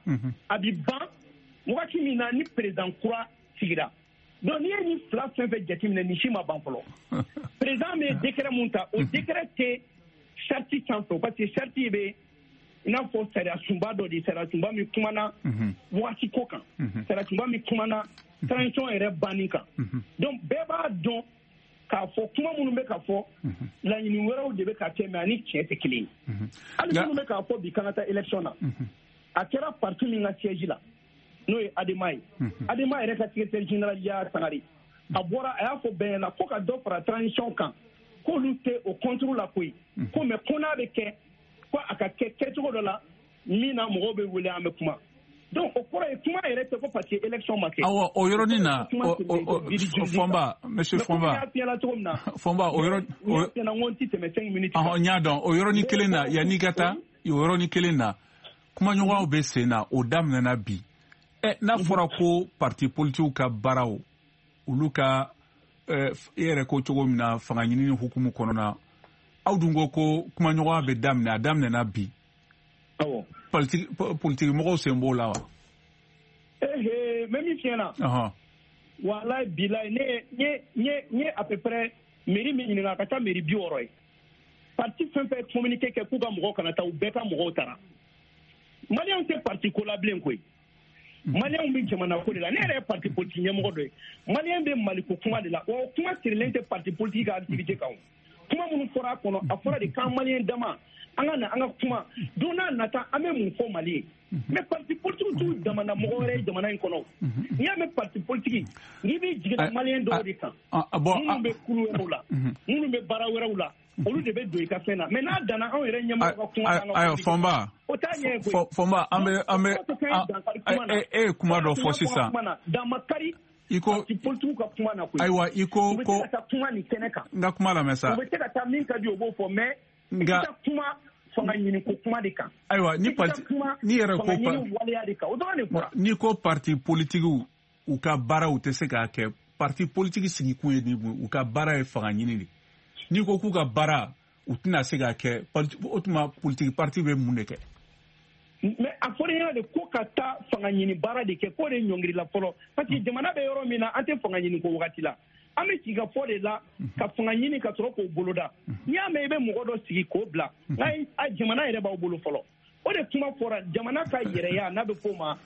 a bi ban wagati min na ni président kura sigira. Donc n'i ye nin fila fɛn fɛn jateminɛ, nin si ma ban fɔlɔ. Président bɛ décret mun ta, o décret tɛ charte sanfɛ, parce que charte bɛ i n'a fɔ sariya sunba dɔ de, sariya sunba min kumana wagati ko kan, sariya sunba min kumana transition yɛrɛ banni kan. Donc bɛɛ b'a dɔn k'a fɔ kuma minnu bɛ ka fɔ, laɲini wɛrɛw de bɛ ka kɛ, mais ani tiɲɛ tɛ kelen ye. Hali minnu bɛ k'a fɔ bi k'an ka taa élection na, a kɛra parti min ka siège la, n'o ye ADEMA ye, ADEMA yɛrɛ ka secrétaire général Yaya Sangare, a bɔra a y'a fɔ bɛɛ ɲɛna ko ka dɔ fara transition kan, k'olu tɛ o contre la koyi, ko mais ko n'a bɛ kɛ, ko a ka kɛ kɛcogo dɔ la min na mɔgɔw bɛ wele, an bɛ kuma. Donc o kɔrɔ ye kuma yɛrɛ tɛ ko parce que élection ma kɛ. Awɔ, o yɔrɔnin na, Fɔnba, monsieur Fɔnba, Fɔnba, o yɔrɔ, n ko n ti tɛmɛ 5 minutes. Ɔhɔn, n y'a dɔn. O yɔrɔnin kelen na, yanni ka taa o yɔrɔnin kelen na, kumaɲɔgɔnyaw bɛ sen na, o daminɛna bi. N'a fɔra ko parti politikiw ka baaraw, olu ka e yɛrɛ ko cogo min na fanga ɲinini hukumu kɔnɔna, aw dun ko ko kumaɲɔgɔnya bɛ daminɛ, a daminɛna bi. Awɔ. Politiki mɔgɔw sen b'o la wa? N bɛ min f'i ɲɛna. Walayi bilayi, ne ye à peu près mairie min ɲininka, a ka ca mairie 60 ye. Parti fɛn fɛn communiqué kɛ k'u ka mɔgɔw kana taa, u bɛɛ ka mɔgɔw taara. Maliyɛnw tɛ parti ko la bilen koyi. Maliyɛnw bɛ jamana ko de la. Ne yɛrɛ ye parti politique ɲɛmɔgɔ dɔ ye. Maliyɛn bɛ Maliko kuma de la. Wa o kuma sirilen tɛ parti politique ka activité kan o. Kuma minnu fɔra a kɔnɔ, a fɔra de k'an maliyɛn dama, an ka na an ka kuma. Don n'a nata, an bɛ mun fɔ Mali ye? Mais parti politique t'u jamana mɔgɔ wɛrɛ ye jamana in kɔnɔ. N'i y'a mɛn parti politique, n'i b'i jiginna maliyɛn dɔw de kan, minnu bɛ kulu wɛrɛw la, minnu bɛ baara wɛrɛw la, olu de bɛ don i ka fɛn na. Mais n'a danna anw yɛrɛ ɲɛmɔgɔ ka kuma kan, ayiwa Fɔnba, o t'a ɲɛ koyi. Fɔnba, an bɛ e ye kuma dɔ fɔ sisan. Damakari i ko parti politique ka kuma na koyi. Ayiwa, i ko u bɛ se ka taa kuma nin kɛnɛ kan. N ka kuma lamɛn sa. U bɛ se ka taa min ka di, o b'o fɔ, mais nka kuma fanga ɲini ko kuma de kan. Ayiwa, ni parti ni yɛrɛ ko fanga ɲini waleya de kan, o dɔrɔn de fɔra. N'i ko parti politique u ka baaraw tɛ se k'a kɛ, parti politique sigikun ye nin, u ka baara ye fanga ɲini de. N'i ko k'u ka baara u tɛna se k'a kɛ, o tuma politique parti bɛ mun de kɛ? Mais a fɔra ɲɛna de ko ka taa fanga ɲini baara de kɛ, k'o de ɲɔngirila fɔlɔ, parce que jamana bɛ yɔrɔ min na, an tɛ fanga ɲini ko wagati la. An bɛ sigi ka fɔ de la ka fanga ɲini ka sɔrɔ k'o boloda. N'i y'a mɛn i bɛ mɔgɔ dɔ sigi k'o bila, nka jamana yɛrɛ b'aw bolo fɔlɔ. O de kuma fɔra, jamana ka yɛrɛya n'a bɛ f'o ma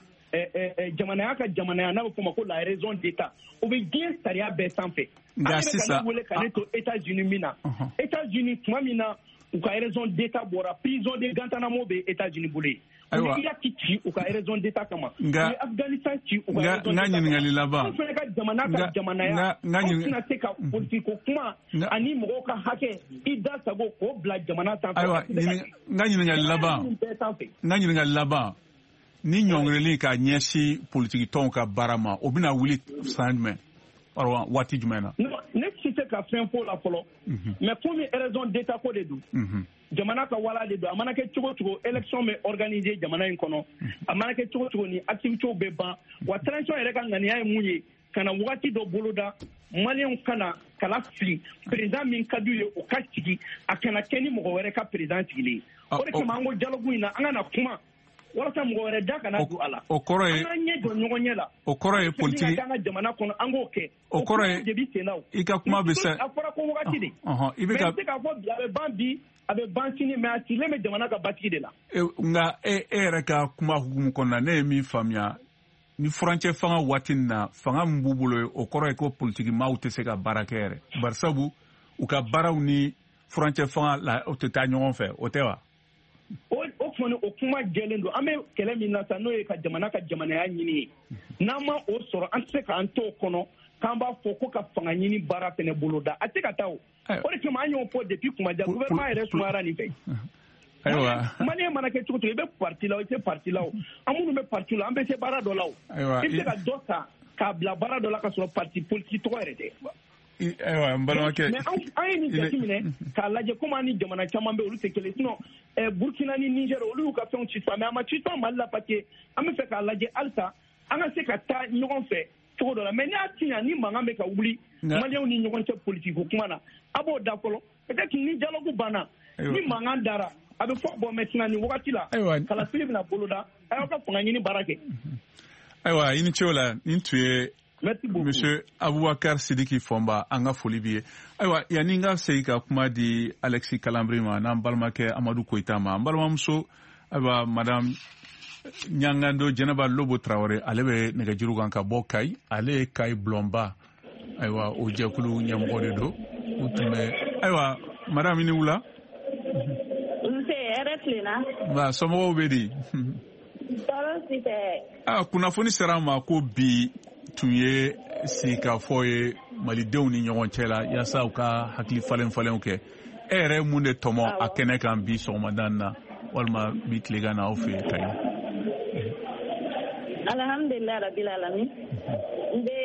jamanaya ka jamanaya n'a bɛ f'o ma ko la raison d'État, o bɛ diɲɛ sariya bɛɛ sanfɛ. Nka sisan, ne wele ka ne to États-Unis min na, États-Unis tuma min na u ka raison d'État bɔra, prison de Guantanamo bɛ États-Unis bolo yen. Ayiwa, u ye Irak ci u ka raison d'État kama, u ye Afghanistan ci u ka raison d'État kama. N ka ɲininkali laban. Anw fana ka jamana ka jamanaya, anw tɛna se ka politique ko kuma ani mɔgɔw ka hakɛ i da sago k'o bila jamana sanfɛ. Ayiwa, n ka ɲininkali laban. N ka ɲininkali laban. Ni ɲɔngirili ka ɲɛsin politiki tɔnw ka baara ma, o bɛna wuli san jumɛn? Waati jumɛn na? Ne tɛ se ka fɛn fɔ o la fɔlɔ, mais komi raison d'État ko de don, jamana ka wala de don, a mana kɛ cogo cogo, élection bɛ organiser jamana in kɔnɔ, a mana kɛ cogo cogo, ni activités bɛ ban. Wa transition yɛrɛ ka ŋaniya ye mun ye? Ka na wagati dɔ boloda, maliyɛnw kana kala fili, président min ka d'u ye o ka sigi, a kana kɛ ni mɔgɔ wɛrɛ ka président sigilen ye. O de kama an ko dialogue in na, an ka na kuma walasa mɔgɔ wɛrɛ da kana don a la. O kɔrɔ ye an k'an ɲɛ jɔ ɲɔgɔn ɲɛ la. O kɔrɔ ye politique an ka jamana kɔnɔ, an k'o kɛ. O kɔrɔ ye de bi sen na o. I ka kuma bɛ se. A fɔra ko wagati de. I bɛ ka. Mais n tɛ se k'a fɔ bi a bɛ ban bi, a bɛ ban sini, mais a sigilen bɛ jamana ka basigi de la. Nka e yɛrɛ ka kuma hukumu kɔnɔna, ne ye min faamuya, ni furancɛ fanga waati nin na, fanga min b'u bolo, o kɔrɔ ye ko politiki maaw tɛ se ka baara kɛ yɛrɛ. Barisabu u ka baaraw ni furancɛ fanga la, o tɛ taa ɲɔgɔn fɛ, o tɛ wa? O kɔni, o kuma jɛlen don. An bɛ kɛlɛ min na sa, n'o ye ka jamana ka jamanaya ɲini ye, n'an ma o sɔrɔ, an tɛ se k'an to o kɔnɔ k'an b'a fɔ ko ka fanga ɲini baara fɛnɛ boloda. A tɛ ka taa. O de kama, an y'o fɔ depuis kuma jan, gouvernement yɛrɛ sumayara nin fɛ. Ayiwa. Malien mana kɛ cogo cogo, i bɛ parti la o, i tɛ parti la o, an minnu bɛ parti la, an bɛ se baara dɔ la o. I bɛ se ka dɔ ta k'a bila baara dɔ la ka sɔrɔ parti politique tɔgɔ yɛrɛ tɛ. Ayiwa, n balimakɛ. Mais an ye nin jateminɛ k'a lajɛ, komi an ni jamana caman bɛ, olu tɛ kelen. Sinon Burkina ni Niger, olu y'u ka fɛnw suspend, mais a ma suspend Mali la, parce que an bɛ fɛ k'a lajɛ halisa an ka se ka taa ɲɔgɔn fɛ cogo dɔ la. Mais n'i y'a tiɲɛ, ni mankan bɛ ka wuli Malienw ni ɲɔgɔn cɛ politique ko kuma na, a b'o da fɔlɔ. Peut-être ni dialogue banna, ni mankan dara, a bɛ fɔ: bon, maintenant, nin wagati la, kalafili bɛna boloda, a y'aw ka fanga ɲini baara kɛ. Ayiwa, i ni ce o la. Nin tun ye Merci beaucoup. Monsieur Aboubacar Sidiki Fomba, an ka foli b'i ye. Ayiwa, yanni n ka segin ka kuma di Alexis Kalambry ma n'an balimakɛ Amadu Koyita ma, an balimamuso, ayiwa, madame Ɲangando Jɛnɛba Lobo Tarawele, ale bɛ nɛgɛjuru kan ka bɔ Kayi. Ale ye Kayi bulɔnba, ayiwa, o jɛkulu ɲɛmɔgɔ de don. U tun bɛ, ayiwa, madame, i ni wula. Nse, hɛrɛ tilenna. Nka somɔgɔw bɛ di? Tɔɔrɔ si tɛ. Ah, kunnafoni sera an ma ko bi tun ye sigikafɔ ye malidenw ni ɲɔgɔn cɛ la, yaasa u ka hakili falen falenw kɛ. E yɛrɛ ye mun de tɔmɔ a kɛnɛ kan bi sɔgɔmada in na, walima bi tilegan na, aw fɛ yen Kayi? Alhamdulilah rabil alamin. N bɛ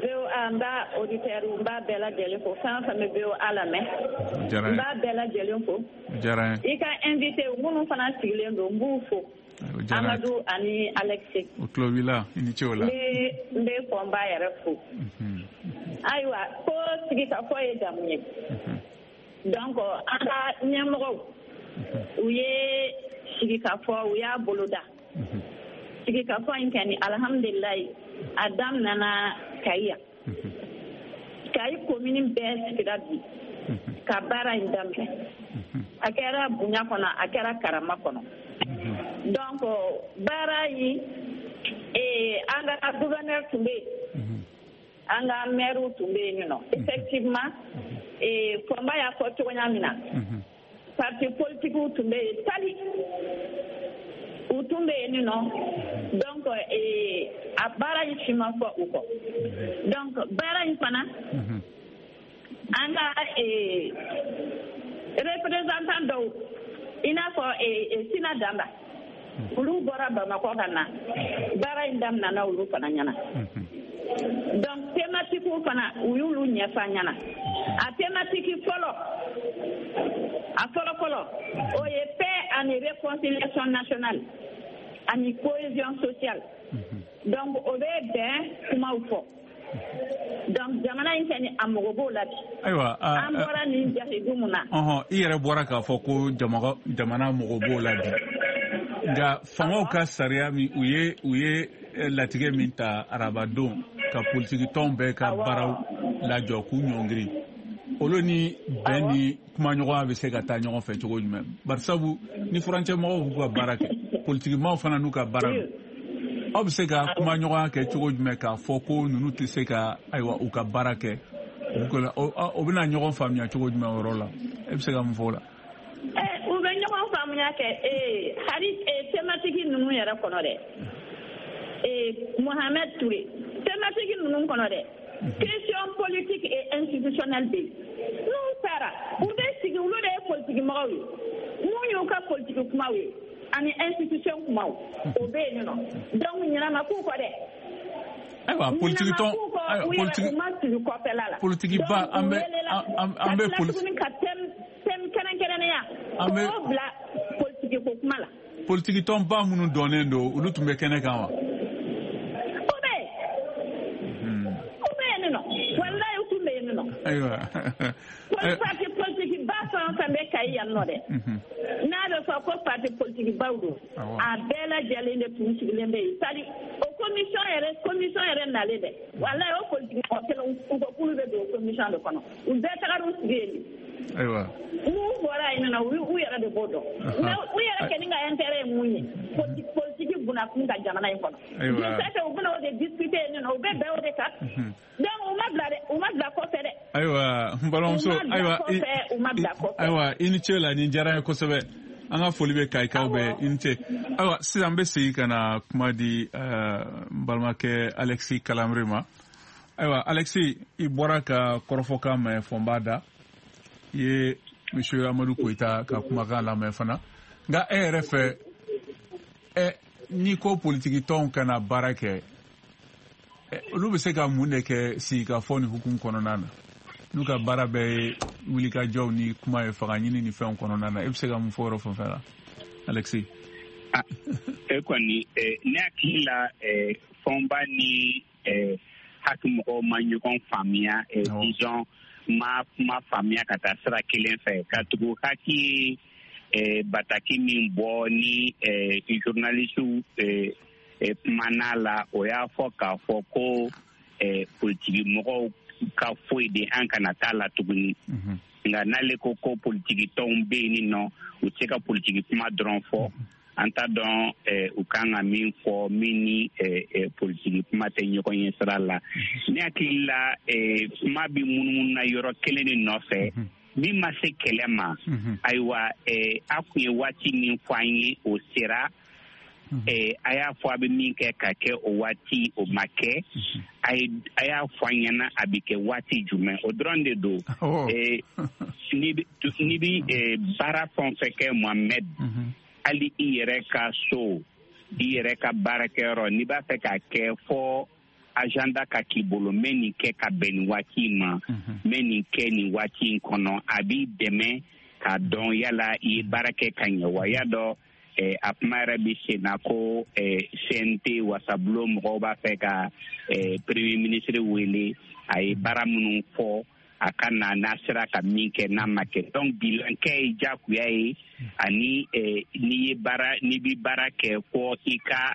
VOA, n b'a auditeur, n b'a bɛɛ lajɛlen fo. Fɛn o fɛn bɛ VOA lamɛn, n b'a bɛɛ lajɛlen fo. Diyara n ye. I ka invité minnu fana sigilen don, n b'u fo. Amadu ani Alexis. O tulo b'i la, i ni ce o la. N bɛ Fɔnba yɛrɛ fo. Ayiwa, ko sigikafɔ ye jamu ye. Donc an ka ɲɛmɔgɔw, u ye sigikafɔ, u y'a boloda. Sigikafɔ in kɛni, alhamdulilayi, a daminɛna Kayi yan. Kayi commune bɛɛ sigira bi ka baara in daminɛ. A kɛra bonya kɔnɔ, a kɛra karama kɔnɔ. Donc baara in, an ka gouverneur tun bɛ yen, an ka maire tun bɛ yen nɔ. Effectivement, Fɔnba y'a fɔ cogoya min na, parti politique tun bɛ yen tali, u tun bɛ yen nɔ. Donc a baara in si ma fɔ u kɔ. Donc baara in fana, an ka représentant dɔw, i n'a fɔ Sina Danba, olu bɔra Bamakɔ ka na. Baara in daminɛna olu fana ɲɛna. Donc thématique fana, u y'olu ɲɛfɔ an ɲɛna. A thématique fɔlɔ, a fɔlɔ fɔlɔ, o ye paix ani réconciliation nationale ani cohésion sociale. Donc o bɛ bɛn kumaw fɔ. Donc jamana in kɛni, a mago b'o la bi. Ayiwa. An bɔra nin jahidu mun na. Ɔhɔn, i yɛrɛ bɔra k'a fɔ ko jamana mago b'o la bi, nka fangaw ka sariya min u ye latigɛ min ta arabadon ka politikitɔnw bɛɛ ka baaraw lajɔ k'u ɲɔngiri, olu ni bɛn ni kumaɲɔgɔnya bɛ se ka taa ɲɔgɔn fɛ cogo jumɛn? Barisabu ni furancɛ mɔgɔw b'u ka baara kɛ, politikimaw fana n'u ka baara don, aw bɛ se ka kumaɲɔgɔnya kɛ cogo jumɛn k'a fɔ ko ninnu tɛ se ka, ayiwa, u ka baara kɛ? O bɛna ɲɔgɔn faamuya cogo jumɛn o yɔrɔ la? E bɛ se ka mun fɔ o la? U bɛ ɲɔgɔn faamuya kɛ hali thématique ninnu yɛrɛ kɔnɔ dɛ, Mohamed Touré. Thématique ninnu kɔnɔ dɛ, question politique et institutionnelle bɛ yen. N'u taara, u bɛ sigi, olu de ye politique mɔgɔw ye, mun y'u ka politique kumaw ye ani institution kumaw, o bɛ yen nɔ. Donc ɲinama k'u kɔ dɛ. Ayiwa, politiki tɔn Politiki, u ma sigi kɔfɛla la. Politiki ba, an bɛ tuguni ka thème kɛrɛnkɛrɛnnenya k'o bila politiki ko kuma la. Politiki tɔnba minnu dɔnnen don, olu tun bɛ kɛnɛ kan wa? U bɛ yen, u bɛ yen nɔ, walayi, u tun bɛ yen nɔ. Parti politique ba fɛn o fɛn bɛ Kayi yan nɔ dɛ, n'a bɛ fɔ ko parti politique baw don, a bɛɛ lajɛlen de tun sigilen bɛ yen. C'est à dire o commission yɛrɛ nalen dɛ, walayi, o politique mɔgɔ kelen, u ko k'olu bɛ don o commission de kɔnɔ, u bɛɛ tagara u sigi yen de. Mun bɔra yen nɔ, u yɛrɛ de b'o dɔn. Mais u yɛrɛ kɛni ka intérêt ye mun ye politique bunakun ka jamana in kɔnɔ? Je sais que u bɛna o de discuter yen nɔ, u bɛ bɛn o de kan. Donc u ma bila dɛ, u ma bila kɔfɛ dɛ. Ayiwa, n balimamuso, ayiwa, u ma bila kɔfɛ. Ayiwa, i ni ce la, nin diyara n ye kosɛbɛ. An ka foli bɛ Kayikaw bɛɛ, i ni ce. Ayiwa, sisan n bɛ segin ka na kuma di n balimakɛ Alexis Kalamere ma. Ayiwa Alexis, i bɔra ka kɔrɔfɔkan mɛn Fɔnba da, i ye monsieur Amadu Koyita ka kumakan lamɛn fana. Nka e yɛrɛ fɛ, n'i ko politiki tɔnw kana baara kɛ, olu bɛ se ka mun de kɛ sigikafɔ ni hukumu kɔnɔna na? N'u ka baara bɛɛ ye wulikajɔw ni kuma ye, fanga ɲini ni fɛnw kɔnɔna na, e bɛ se ka mun fɔ yɔrɔ fan fɛn la, Alexis? E kɔni, ne hakili la, Fɔnba ni HAC mɔgɔw ma ɲɔgɔn faamuya, disons ma kuma faamuya ka taa sira kelen fɛ, ka tugu HAC ye bataki min bɔ ni journaliste kumana la, o y'a fɔ k'a fɔ ko politiki mɔgɔw ka foyi de an kana taa la tuguni. Nka n'ale ko ko politiki tɔnw bɛ yen nɔ, u tɛ se ka politiki kuma dɔrɔn fɔ. An t'a dɔn u kan ka min fɔ min ni politiki kuma tɛ ɲɔgɔn ye sira la. Ne hakili la, kuma bɛ munumunu na yɔrɔ kelen de nɔfɛ min ma se kɛlɛ ma. Ayiwa, a kun ye waati min fɔ an ye, o sera. A y'a fɔ a bɛ min kɛ ka kɛ o waati, o ma kɛ. A y'a fɔ an ɲɛna a bɛ kɛ waati jumɛn, o dɔrɔn de don. N'i bɛ baara fɛn o fɛn kɛ, Mohamed, hali i yɛrɛ ka so, i yɛrɛ ka baarakɛyɔrɔ, n'i b'a fɛ k'a kɛ, fɔ agenda ka k'i bolo, n bɛ nin kɛ ka bɛn nin waati in ma, n bɛ nin kɛ nin waati in kɔnɔ. A b'i dɛmɛ k'a dɔn yala i ye baara kɛ ka ɲɛ wa. Y'a dɔn, a kuma yɛrɛ bɛ sen na ko CNT wasabulon mɔgɔw b'a fɛ ka premier ministre wele, a ye baara minnu fɔ a ka na, n'a sera ka min kɛ, n'a ma kɛ. Donc bilan kɛ ye diyagoya ye, ani n'i ye baara, n'i bɛ baara kɛ, fɔ i ka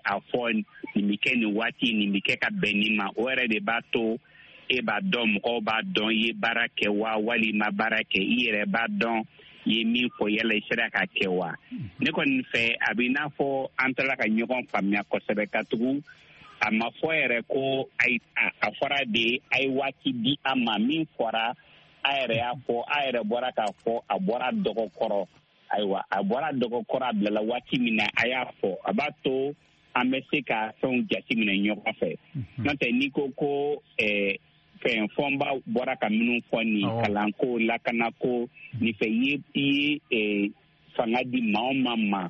a fɔ nin bɛ kɛ nin waati, nin bɛ kɛ ka bɛn nin ma. O yɛrɛ de b'a to e b'a dɔn, mɔgɔw b'a dɔn i ye baara kɛ wa walima baara kɛ, i yɛrɛ b'a dɔn i ye min fɔ, yala i sera ka kɛ wa. Ne kɔni fɛ, a bɛ i n'a fɔ an taara ka ɲɔgɔn faamuya kosɛbɛ, ka tugu a ma fɔ yɛrɛ ko a fɔra de a ye waati di a ma. Min fɔra, a yɛrɛ y'a fɔ, a yɛrɛ bɔra k'a fɔ, a bɔra dɔgɔ kɔrɔ. Ayiwa, a bɔra dɔgɔ kɔrɔ, a bilala waati min na, a y'a fɔ, a b'a to an bɛ se ka fɛnw jateminɛ ɲɔgɔn fɛ. N'o tɛ, n'i ko ko fɛn Fɔnba bɔra ka minnu fɔ nin, kalanko, lakanako nin fɛ, i ye fanga di maa o maa ma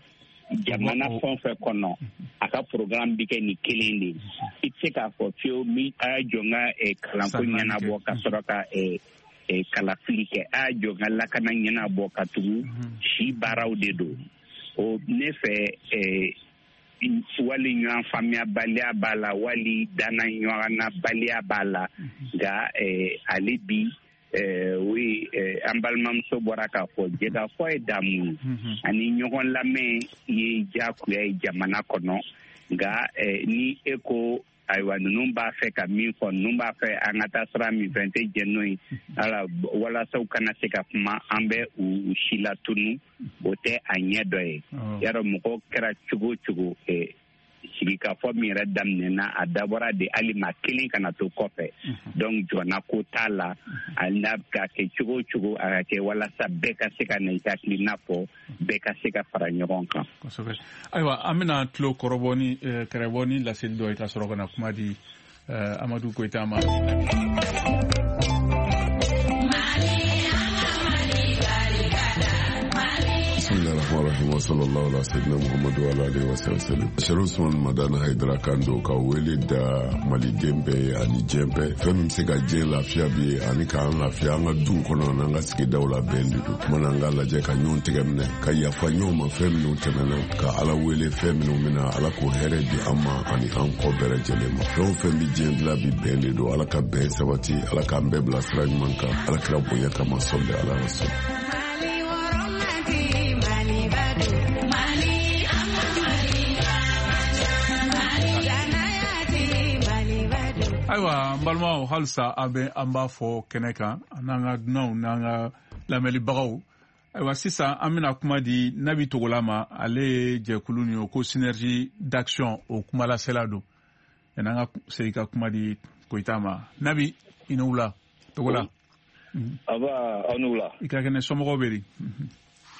jamana fɛn o fɛn kɔnɔ, a ka programme bɛ kɛ nin kelen de ye. I tɛ se k'a fɔ fiyewu min a y'a jɔ n ka kalanko ɲɛnabɔ ka sɔrɔ ka kalafili kɛ, a y'a jɔ n ka lakana ɲɛnabɔ, ka tugu si baaraw de don. O ne fɛ, wali ɲɔgɔn faamuyabaliya b'a la, wali danna ɲɔgɔnnabaliya b'a la. Nka ale bi, oui, an balimamuso bɔra k'a fɔ, jɛkafɔ ye damu ye, ani ɲɔgɔn lamɛn ye diyagoya ye jamana kɔnɔ. Nka ni e ko ayiwa ninnu b'a fɛ ka min fɔ, ninnu b'a fɛ an ka taa sira min fɛ, n tɛ jɛn n'o ye, ala walasa u kana se ka kuma, an bɛ u si latunu, o tɛ a ɲɛ dɔ ye. Yarɔ, mɔgɔ kɛra cogo o cogo, sigikafɔ min yɛrɛ daminɛna, a dabɔra de hali maa kelen kana to kɔfɛ. Donc jɔnna ko t'a la, hali n'a ka kɛ cogo o cogo, a ka kɛ walasa bɛɛ ka se ka na i hakilina fɔ, bɛɛ ka se ka fara ɲɔgɔn kan. Kosɛbɛ. Ayiwa, an bɛna tulo kɔrɔbɔ ni kɛrɛbɔ ni laseli dɔ ye, ka sɔrɔ ka na kuma di Amadu Koyita ma. Bismillahirrahmanirrahim wa sallallahu ala sayyidina Muhammadu wa ala alihi wa sallam. Sherif Usman Madani Haidara kan don ka wele da maliden bɛɛ ye ani diɲɛ bɛɛ. Fɛn min bɛ se ka diɲɛ lafiya bi ye ani k'an lafiya an ka duw kɔnɔ n'an ka sigidaw la, bɛn de don. Kumana an k'a lajɛ ka ɲɔgɔn tɛgɛ minɛ, ka yafa ɲɔgɔn ma fɛn minnu tɛmɛna, ka Ala wele fɛn minnu bɛna, Ala k'o hɛrɛ di an ma ani an kɔ bɛɛ lajɛlen ma. Fɛn o fɛn bɛ diɲɛ dilan bi, bɛn de don. Ala ka bɛn sabati, Ala k'an bɛɛ bila sira ɲuman kan, Ala kira bonya kama, sɔli ala rasul. Ayiwa, n balimaw, halisa an bɛ an b'a fɔ kɛnɛ kan, an n'an ka dunanw n'an ka lamɛnlibagaw. Ayiwa, sisan an bɛna kuma di Nabi Togola ma. Ale ye jɛkulu nin ye ko Synergie d'action, o kumalasela don. Yanni an ka segin ka kuma di Koyita ma, Nabi, i ni wula. Togola. Aba, aw ni wula. I ka kɛnɛ, somɔgɔw bɛ di?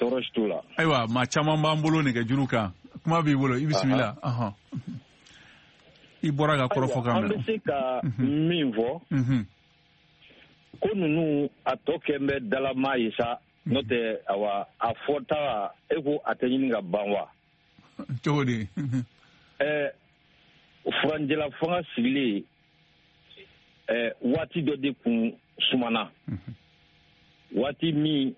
Tɔɔrɔ si t'o la. Ayiwa, maa caman b'an bolo nɛgɛjuru kan. Kuma b'i bolo, i bisimila. I bɔra ka kɔrɔfɔ kan mɛn. An bɛ se ka min fɔ, ko ninnu a tɔ kɛn bɛ dalama ye sa, n'o tɛ awa a fɔta e ko a tɛ ɲini ka ban wa? Cogo di? Furanjɛla fanga sigilen waati dɔ de kun sumana. Waati min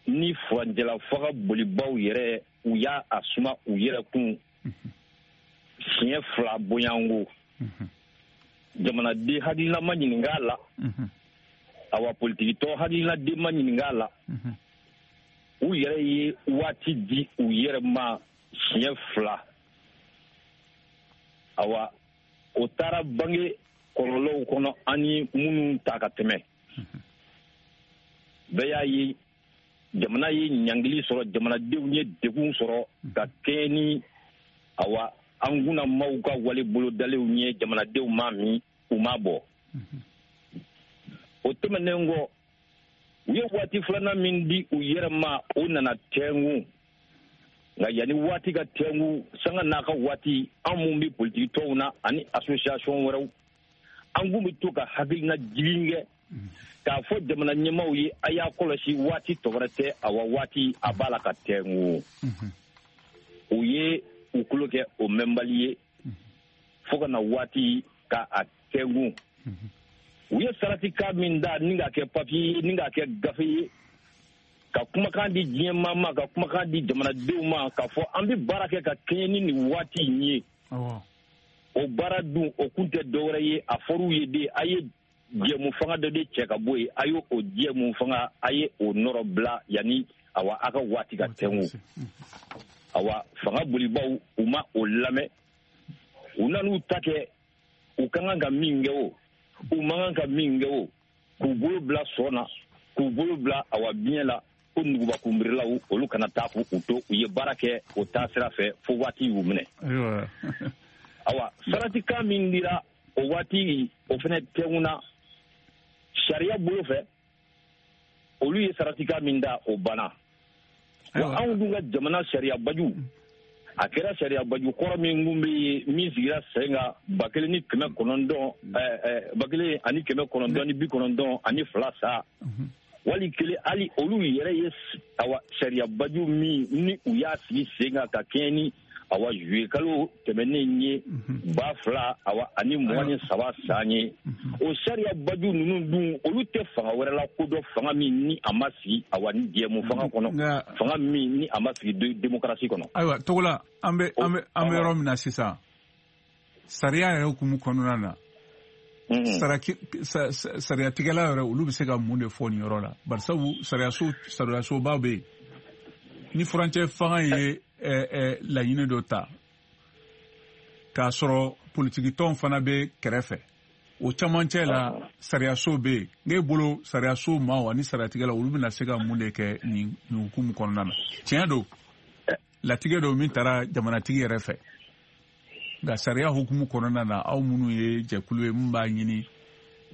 ni furanjɛla fanga bolibaw yɛrɛ u y'a a suma u yɛrɛ kun siɲɛ 2 bonyanko. Jamanaden hakilina ma ɲininka a la. Awa politikitɔn hakilinaden ma ɲininka a la. U yɛrɛ ye waati di u yɛrɛ ma siɲɛ 2. Awa o taara bange kɔlɔlɔw kɔnɔ ani minnu ta ka tɛmɛ. Bɛɛ y'a ye jamana ye ɲangili sɔrɔ, jamanadenw ye degun sɔrɔ ka kɛɲɛ ni awa an kunna maaw ka wale bolodalenw ye, jamanadenw ma min u ma bɔ. O tɛmɛnen kɔ, u ye waati filanan min di u yɛrɛ ma, o nana tɛnku. Nka yanni waati ka tɛnku, sanga n'a ka waati, an mun bɛ politiki tɔnw na ani association wɛrɛw, an kun bɛ to ka hakilina jigin kɛ k'a fɔ jamana ɲɛmaaw ye, a y'a kɔlɔsi waati tɔ wɛrɛ tɛ, awa waati a b'a la ka tɛnku. U ye u kulo kɛ o mɛnbali ye fo ka na waati ka a tɛnku. U ye saratikan min da ni k'a kɛ papiye ye, ni k'a kɛ gafe ye, ka kumakan di diɲɛ maa ma, ka kumakan di jamanadenw ma, k'a fɔ an bɛ baara kɛ ka kɛɲɛ ni nin waati in ye. O baara dun o kun tɛ dɔwɛrɛ ye, a fɔr'u ye de, a ye jɛmu fanga dɔ de cɛ ka bɔ yen, a y'o o jɛmu fanga, a ye o nɔrɔ bila yanni awa a ka waati ka tɛnku. Awa fanga bolibaw u ma o lamɛn, u nan'u ta kɛ u ka kan ka min kɛ o, u man kan ka min kɛ o, k'u bolo bila sɔn na, k'u bolo bila awa biɲɛ la, ko nugubakunbirilaw olu kana taa k'u to, u ye baara kɛ o taasira fɛ fo waati y'u minɛ. Awa saratikan min dira o waati o fana tɛnkunna sariya bolo fɛ, olu ye saratikan min da o banna. Wa anw dun ka jamana sariya baju, a kɛra sariya baju kɔrɔ min kun bɛ yen min sigira sen kan 1900 1992 sa, wali kelen hali olu yɛrɛ ye awa sariya baju min ni u y'a sigi sen kan ka kɛɲɛ ni awa juillet kalo tɛmɛnen ye 2023 san ye, o sariya baju ninnu dun olu tɛ fanga wɛrɛ la kodɔn, fanga min ni a ma sigi awa ni jɛmu fanga kɔnɔ, fanga min ni a ma sigi démocratie kɔnɔ. Ayiwa Togola, an bɛ yɔrɔ min na sisan, sariya yɛrɛ hukumu kɔnɔna na, sariyatigɛla yɛrɛ olu bɛ se ka mun de fɔ nin yɔrɔ la? Barisabu sariyasoba bɛ yen, ni furancɛ fanga ye laɲini dɔ ta k'a sɔrɔ politikitɔn fana bɛ kɛrɛfɛ, o camancɛ la sariyaso bɛ yen. N'e bolo sariyaso maaw ani sariyatigɛla olu bɛna se ka mun de kɛ nin hukumu kɔnɔna na? Tiɲɛ don, latigɛ don min taara jamanatigi yɛrɛ fɛ, nka sariya hukumu kɔnɔna na, aw minnu ye jɛkulu ye min b'a ɲini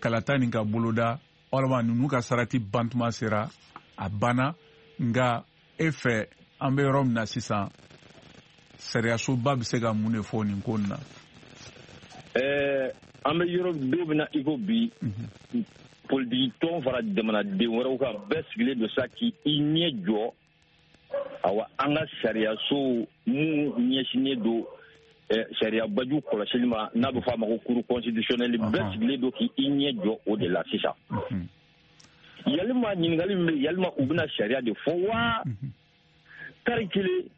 kalata nin ka boloda, walima ninnu ka sarati bantuma sera a banna, nka e fɛ an bɛ yɔrɔ min na sisan, sariyasoba bɛ se ka mun de fɔ nin ko in na? An bɛ yɔrɔ don min na i ko bi, politiki tɔn fara jamanaden wɛrɛw kan, bɛɛ sigilen don sa k'i ɲɛ jɔ awa an ka sariyaso mun ɲɛsinnen don sariya baju kɔlɔsili ma, n'a bɛ fɔ a ma ko cour constitutionnelle, bɛɛ sigilen don k'i ɲɛ jɔ o de la sisan. Yalima ɲininkali min bɛ, yalima u bɛna sariya de fɔ wa? Tari kelen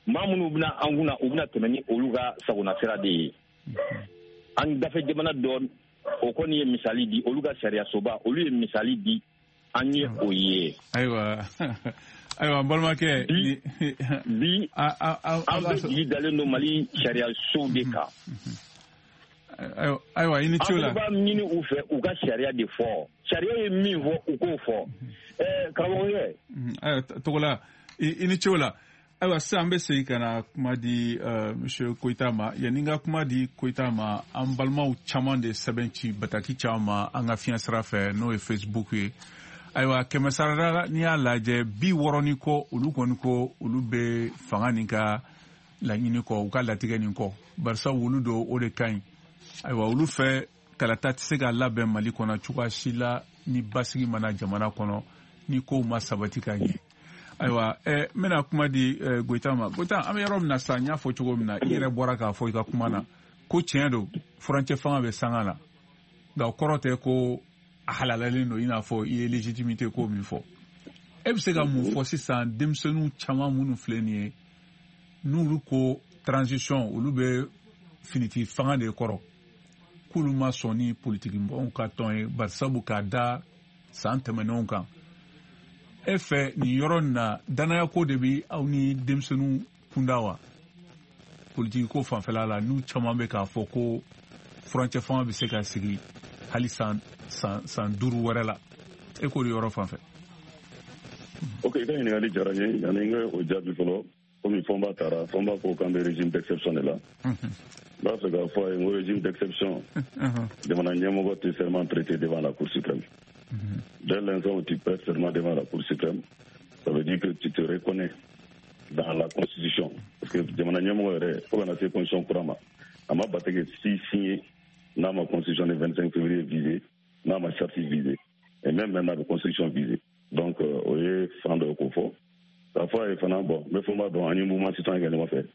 maa minnu bɛna an kunna, u bɛna tɛmɛ ni olu ka sagona sira de ye. An dafɛ jamana dɔ o kɔni ye misali di, olu ka sariyasoba olu ye misali di, an ye o ye. Ayiwa, ayiwa n balimakɛ, bi an bɛ jigi dalen don Mali sariyasow de kan. Ayiwa i ni ce o la. An b'a ɲini u fɛ u ka sariya de fɔ, sariya ye min fɔ u k'o fɔ. Karamɔgɔkɛ. Ayiwa Togola, i ni ce o la. Ayiwa sisan an bɛ segin ka na kuma di monsieur Koyita ma. Yanni n ka kuma di Koyita ma, an balimaw caman de sɛbɛn ci bataki caman ma an ka fiɲɛ sira fɛ, n'o ye Facebook ye. Ayiwa, 100 sarada, n'i y'a lajɛ, 60 ni kɔ, olu kɔni ko olu bɛ fanga nin ka laɲini kɔ, u ka latigɛ nin kɔ, barisa olu don, o de ka ɲi. Ayiwa, olu fɛ, kalata tɛ se ka labɛn Mali kɔnɔ cogoya si la ni basigi mana jamana kɔnɔ, ni kow ma sabati ka ɲɛ. Ayiwa, n bɛna kuma di Goyita ma. Goyita, an bɛ yɔrɔ min na sisan, n y'a fɔ cogo min na, i yɛrɛ bɔra k'a fɔ i ka kuma na ko tiɲɛ don, furancɛ fanga bɛ sanga la, nka o kɔrɔ tɛ ko a halalalen don, i n'a fɔ i ye légitimité ko min fɔ. E bɛ se ka mun fɔ sisan denmisɛnninw caman minnu filɛ nin ye, n'olu ko transition, olu bɛ finiti fanga de kɔrɔ, k'olu ma sɔn ni politiki mɔgɔw ka tɔn ye, barisabu k'a da san tɛmɛnenw kan? E fɛ, nin yɔrɔ nin na, danayako de bɛ aw ni denmisɛnninw kunda wa, politiki ko fanfɛla la, n'u caman bɛ k'a fɔ ko furancɛ fanga bɛ se ka sigi hali san 5 wɛrɛ la? E k'o de yɔrɔ fan fɛ. Ok, i ka ɲininkali diyara n ye. Yanni n ka o jaabi fɔlɔ, komi Fɔnba taara, Fɔnba ko k'an bɛ régime d'exception de la, n b'a fɛ k'a fɔ a ye n ko régime d'exception, jamana ɲɛmɔgɔ tɛ serment prêter devant la Cour suprême. Dès l'instant où tu prêtes serment devant la Cour suprême, ça veut dire que tu te reconnais dans la Constitution. Parce que jamana ɲɛmɔgɔ yɛrɛ, fo ka na se constitution kura ma, a ma bataki si signé n'a ma constitution du 25 février visé, n'a ma charte visé, et même maintenant la constitution visée. Donc o ye fan dɔ ye k'o fɔ. K'a fɔ a ye fana, bon, n bɛ Fɔnba dɔn, an ye mouvement citoyen kɛ ɲɔgɔn fɛ,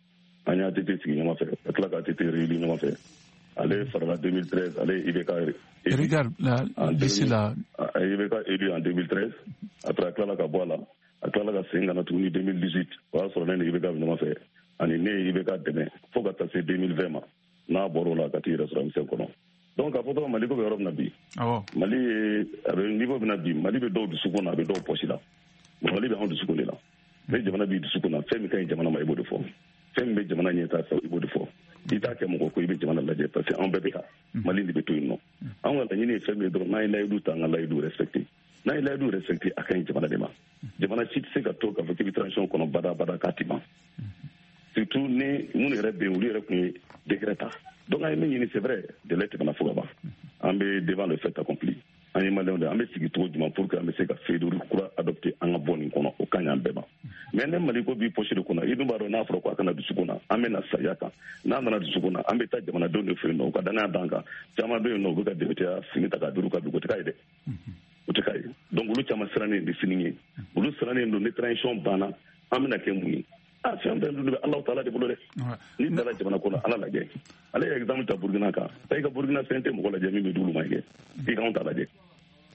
an ye ATT sigi ɲɔgɔn fɛ, ka tila ka ATT réélu ɲɔgɔn fɛ. Ale farala 2013, ale ye IBK élu. Regarde, là, d'ici là. A ye IBK élu en 2013, après a tilala ka bɔ a la, a tilala ka segin ka na tuguni 2018, o y'a sɔrɔ ne ni IBK bɛ ɲɔgɔn fɛ, ani ne ye IBK dɛmɛ fo ka taa se 2020 ma, n'a bɔr'o la ka t'i yɛrɛ sɔrɔ M5 kɔnɔ. Donc k'a fɔ dɔrɔn, Mali ko bɛ yɔrɔ min na bi, Mali ye a bɛ niveau min na bi, Mali bɛ dɔw dusukun na, a bɛ dɔw poche la. Mali bɛ anw dusukun de la. Ni jamana b'i dusukun na, fɛn min ka ɲi jamana ma, i b'o de fɔ. Fɛn min bɛ jamana ɲɛ fɛ, i b'o de fɔ. I t'a kɛ mɔgɔ ko, i bɛ jamana lajɛ, parce que anw bɛɛ bɛ ka Mali de bɛ to yen nɔ. Anw ka laɲini ye fɛn min ye dɔrɔn, n'an ye layidu ta, an ka layidu respecté. N'an ye layidu respecté, a ka ɲi jamana de ma. Jamana si tɛ se ka to k'a fɔ k'i bɛ transition kɔnɔ bada bada k'a ti ban, surtout ni minnu yɛrɛ bɛ yen, olu yɛrɛ tun ye décret ta. Donc an ye min ɲini, c'est vrai, délai tɛmɛna fo ka ban, an bɛ devant le fait accompli. An ye Maliyɛnw de, an bɛ sigi cogo jumɛn pour que an bɛ se ka feuille de route kura adopter, an ka bɔ nin kɔnɔ? O ka ɲi an bɛɛ ma. Mais ne Mali ko b'i poche de kɔnɔ, i dun b'a dɔn, n'a fɔra ko a kana dusukun na, an bɛ na sariya kan. N'a nana dusukun na, an bɛ taa jamanadenw de fɛ yen nɔ, u ka danaya d'an kan. Caman bɛ yen nɔ, u bɛ ka député fini ta k'a d'u ka dugu, o tɛ k'a ye dɛ, o tɛ k'a ye. Donc olu caman sirannen de sini ye, olu sirannen don ni transition banna, an bɛna kɛ mun ye? A fɛn fɛn dun bɛ Alahu taala de bolo dɛ. N'i taara jamana ko la, Ala lajɛ. Ale ye exemple ta Burukina kan. I ka Burukina fɛn tɛ mɔgɔ lajɛ min bɛ d'olu ma kɛ, i k'anw ta lajɛ,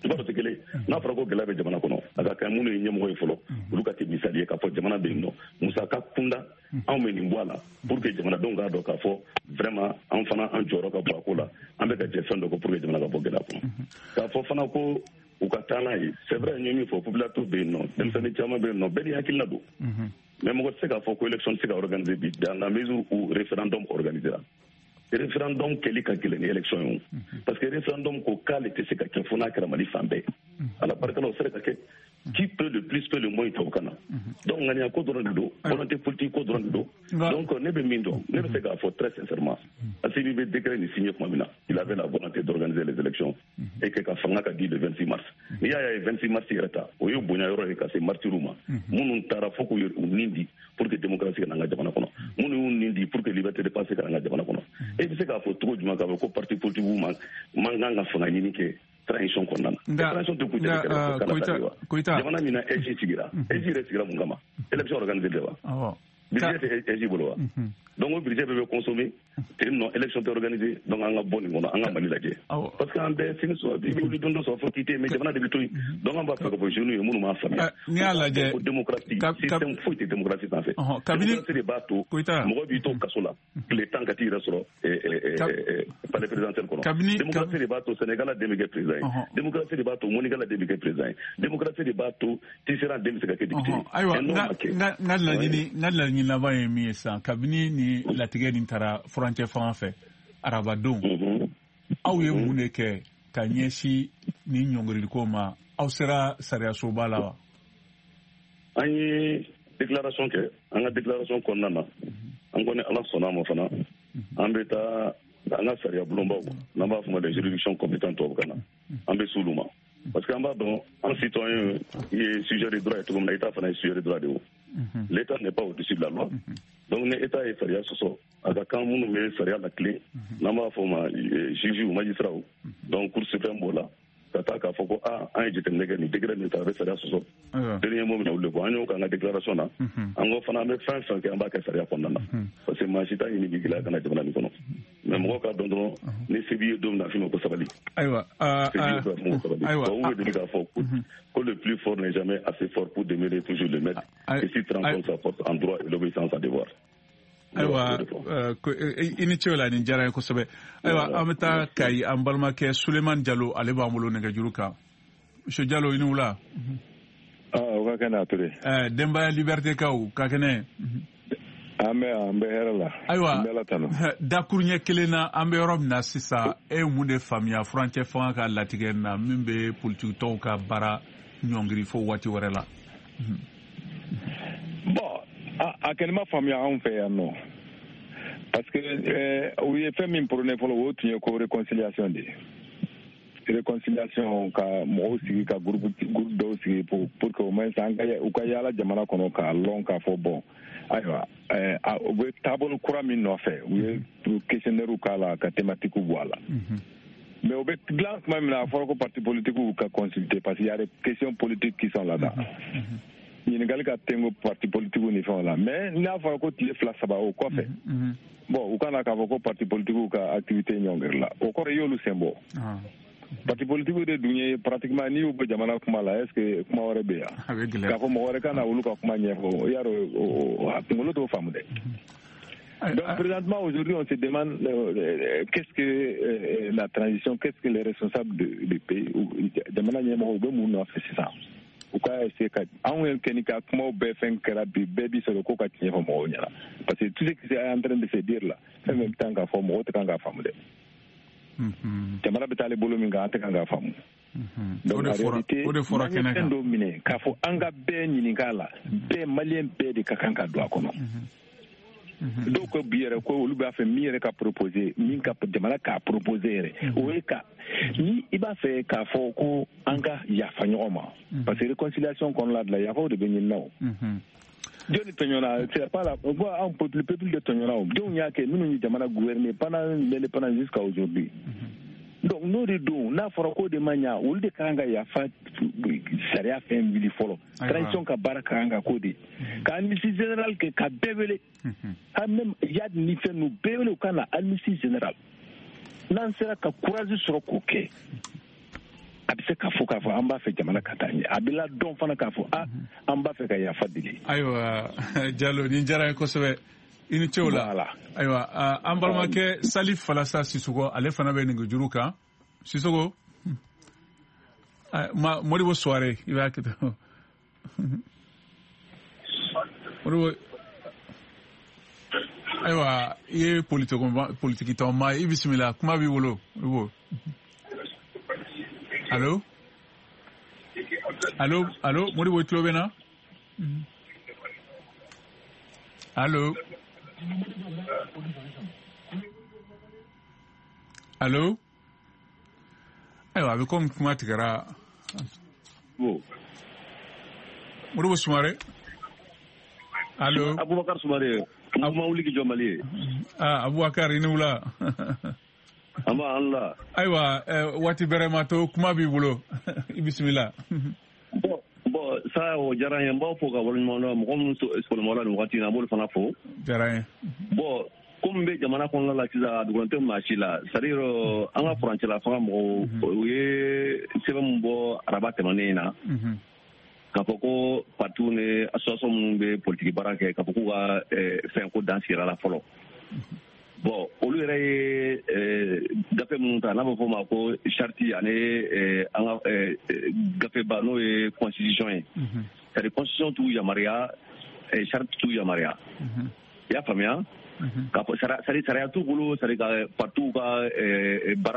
i b'a dɔn tɛ kelen. N'a fɔra ko gɛlɛya bɛ jamana kɔnɔ, a ka kan minnu ye ɲɛmɔgɔ ye fɔlɔ, olu ka kɛ misali ye k'a fɔ jamana bɛ yen nɔ, musaka kunda, anw bɛ nin bɔ a la pour que jamanadenw k'a dɔn k'a fɔ vraiment an fana, an jɔyɔrɔ ka bɔ a ko la, an bɛ ka jɛ fɛn dɔ kɔ pour que jamana ka bɔ gɛlɛya kɔnɔ. K'a fɔ fana ko u ka taa n'a ye, c'est vrai, n ye min fɔ, population bɛ yen nɔ, denmisɛnnin caman bɛ yen nɔ, bɛɛ n'i hakilina don. Mais mɔgɔ tɛ se k'a fɔ ko élection tɛ se ka organiser bi, dans la mesure où référendum organisera. Référendum kɛli ka gɛlɛn ni élection ye o, parce que référendum ko k'ale tɛ se ka kɛ fo n'a kɛra Mali fan bɛɛ. Ala barika la, o sera ka kɛ. Qui peut le plus peut le moins tubabukan na. Donc ŋaniya ko dɔrɔn de don, volonté politique ko dɔrɔn de don. Donc ne bɛ min dɔn, ne bɛ se k'a fɔ très sincèrement, Assimi bɛ décret nin signé tuma min na, il avait la volonté d'organiser les élections et que ka fanga ka di le 26 mars. N'i y'a ye 26 mars yɛrɛ ta, o ye bonya yɔrɔ ye ka se martyrs ma, minnu taara fo k'u nin di pour que démocratie ka na an ka jamana kɔnɔ, minnu y'u nin di pour que liberté de pensée ka na an ka jamana kɔnɔ. E bɛ se k'a fɔ cogo jumɛn k'a fɔ ko parti politique man man kan ka fanga ɲini kɛ transition kɔnɔna na? Transition tɛ kun kɛrɛfɛ wa. Jamana min na AIGE sigira, AIGE yɛrɛ sigira mun kama? Élection organisée de wa? Budget tɛ AIGE bolo wa? Donc o budget bɛɛ bɛ consommer ten nɔ, élection tɛ organisée. Donc an ka bɔ nin kɔnɔ, an ka Mali lajɛ, parce que an bɛɛ sini sɔrɔ, i bɛ wuli don dɔ sɔrɔ fo k'i tɛ yen, mais jamana de bɛ to yen. Donc an b'a fɛ ka fɔ jeunes ye minnu m'a faamuya n'i y'a lajɛ ko démocratie, système foyi tɛ démocratie sanfɛ. Démocratie de b'a to mɔgɔ b'i to kaso la tile 10 ka t'i yɛrɛ sɔrɔ palais présidentiel kɔnɔ. Démocratie de b'a to Sénégal den bɛ kɛ président ye. Démocratie de b'a to Monikala den bɛ kɛ président ye. Démocratie de b'a to Tisserand den bɛ se ka kɛ député ye. Ayiwa, n ka laɲini laban ye min ye sisan, kabini ni latigɛ nin taara furancɛ fanga fɛ arabadon, aw ye mun de kɛ ka ɲɛsin ni ɲɔngiriliko ma? Aw sera sariyasoba la wa? An ye déclaration kɛ. An ka déclaration kɔnɔna na, an kɔni, Ala sɔnna a ma fana, an bɛ taa an ka sariya bulonbaw, n'an b'a fɔ ma les juridictions compétentes tubabukan na, an bɛ s'olu ma. Parce que an b'a dɔn an citoyen ye sujet de droit ye cogo min na, État fana ye sujet de droit de ye. L'État n'est pas au-dessus de la loi. Donc ni État ye sariya sɔsɔ, a ka kan minnu bɛ sariya latilen, n'an b'a fɔ o ma juge ou magistrat, donc Cour suprême b'o la, ka taa k'a fɔ ko aa an ye jateminɛ kɛ nin décret min ta, a bɛ sariya sɔsɔ. Dernier mot min na olu de bɔ, an y'o k'an ka déclaration na. An ko fana an bɛ fɛn fɛn kɛ, an b'a kɛ sariya kɔnɔna na. Parce que maa si t'a ɲini k'i gɛlɛya ka na jamana nin kɔnɔ. Mais mɔgɔw k'a dɔn dɔrɔn ni se b'i ye don min na, a f'i ma ko sabali. Ayiwa. Ayiwa. U bɛ deli k'a fɔ ko le plus fort n'est jamais assez fort pour demeurer toujours le maître. Et s'il transforme sa force en droit et l'obéissance en devoir. Ayiwa, i ni ce o la, nin diyara n ye kosɛbɛ. Ayiwa, an bɛ taa Kayi, an balimakɛ Sulemani Jalo, ale b'an bolo nɛgɛjuru kan. Monsieur Jalo, i ni wula. O ka kɛnɛ a Ture. Denbaya Liberté kaw ka kɛnɛ. An bɛ hɛrɛ la. Ayiwa, dakuruɲɛ kelen na, an bɛ yɔrɔ min na sisan, e ye mun de faamuya furancɛ fanga ka latigɛ na min bɛ politiki tɔnw ka baara ɲɔngiri fo waati wɛrɛ la? Bon, a kɛlen ma faamuya anw fɛ yan nɔ, parce que u ye fɛn min prôné fɔlɔ, o tun ye ko réconciliation de ye. Réconciliation, ka mɔgɔw sigi, ka groupe dɔw sigi pour que au moins an ka u ka yaala jamana kɔnɔ k'a lɔn k'a fɔ bon, ayiwa, u bɛ taabolo kura min nɔfɛ, u ye questionnaire k'a la, ka thématique bɔ a la. Mais u bɛ dilan tuma min na, a fɔra ko parti politique ka consulter, parce qu'il y a des questions politiques qui sont là-dedans. Ɲininkali ka tengo parti politique ni fɛnw la. Mais n'a fɔra ko tile 2 3 o kɔfɛ, bon, u kana k'a fɔ ko parti politique ka activité ɲɔngiri la, o kɔrɔ i y'olu sen bɔ. Parti politique de dun ye pratiquement, n'i y'u bɔ jamana kuma la, est ce que kuma wɛrɛ bɛ yan k'a fɔ mɔgɔ wɛrɛ ka na olu ka kuma ɲɛfɔ? I y'a dɔn, a kunkolo t'o faamu dɛ. Donc présentement, aujourd'hui, on se demande qu'est-ce que la transition, qu'est-ce que les responsables du pays, jamana ɲɛmɔgɔw bɛ mun nɔfɛ sisan? U ka essayer ka anw yɛrɛ kɛ ni ka kumaw bɛɛ fɛn kɛra bi, bɛɛ bi sɔrɔ ko ka tiɲɛ fɔ mɔgɔw ɲɛna, parce que tout ce qui est en train de se dire là, fɛn fɛn bɛ taa k'a fɔ, mɔgɔw tɛ kan k'a faamu dɛ. Jamana bɛ taa ale bolo min kan, an tɛ kan k'a faamu. Donc en réalité, n'an ye fɛn dɔ minɛ k'a fɔ an ka bɛɛ ɲininka a la, bɛɛ maliyɛn bɛɛ de ka kan ka don a kɔnɔ. Dɔw ko bi yɛrɛ ko olu b'a fɛ min yɛrɛ ka proposer, min ka jamana k'a proposer yɛrɛ, o ye ka ni i b'a fɛ k'a fɔ ko an ka yafa ɲɔgɔn ma, parce que réconciliation kɔnɔna de la, yafaw de bɛ ɲini o. Jɔnni tɔɲɔna? C'est pas la bon, an peuple de tɔɲɔna o. Jɔnw y'a kɛ minnu ye jamana gouverner pendant l'indépendance jusqu'à aujourd'hui? Donc n'o de don, n'a fɔra k'o de ma ɲa, olu de ka kan ka yafa sariya fɛn wuli fɔlɔ. Transition ka baara ka kan ka k'o de, ka amnistie générale kɛ, ka bɛɛ wele, ka même Yad ni fɛn ninnu bɛɛ wele, u ka na amnistie générale. N'an sera ka courage sɔrɔ k'o kɛ, a bɛ se k'a fɔ an b'a fɛ jamana ka taa ɲɛ, a bɛ ladɔn fana k'a fɔ a an b'a fɛ ka yafa deli. Ayiwa Jalo, nin diyara n ye kosɛbɛ, i ni ce o la. Ayiwa, an balimakɛ Salif Falasa Sisoko, ale fana bɛ nɛgɛjuru kan. Sisoko, Modibo Suware, i b'a kɛ tan. Modibo, ayiwa, i ye politiki tɔnba ye, i bisimila, kuma b'i bolo. Modibo, allo allo allo, Modibo, i tulo bɛ n na? Allo allo. Ayiwa, a bɛ komi kuma tigɛra. Modibo Sumare, allo. Abubakar Sumare, mouvement wuli k'i jɔ Mali ye. Ah, Abubakar, i ni wula. An b'a an la. Ayiwa, waati bɛrɛ ma to, kuma b'i bolo, i bisimila. Bon, ça o diyara n ye, n b'aw fo ka waleɲuman dɔn, mɔgɔ minnu sɔgɔma la nin wagati in na, an b'olu fana fo. Diyara n ye. Bon, komi bɛ jamana kɔnɔna la sisan, a dogolen tɛ maa si la, c'est à dire an ka furancɛla fanga mɔgɔw, u ye sɛbɛn min bɔ araba tɛmɛnen in na, k'a fɔ ko partiw ni association minnu bɛ politiki baara kɛ, k'a fɔ k'u ka fɛn ko dan sigira la fɔlɔ. Bon, olu yɛrɛ ye gafe minnu ta, n'a bɛ fɔ o ma ko charte, ani an ka gafeba n'o ye constitution ye. C'est à dire constitution t'u yamaruya, charte t'u yamaruya. I y'a faamuya? K'a fɔ sariya t'u bolo, c'est à dire ka partiw ka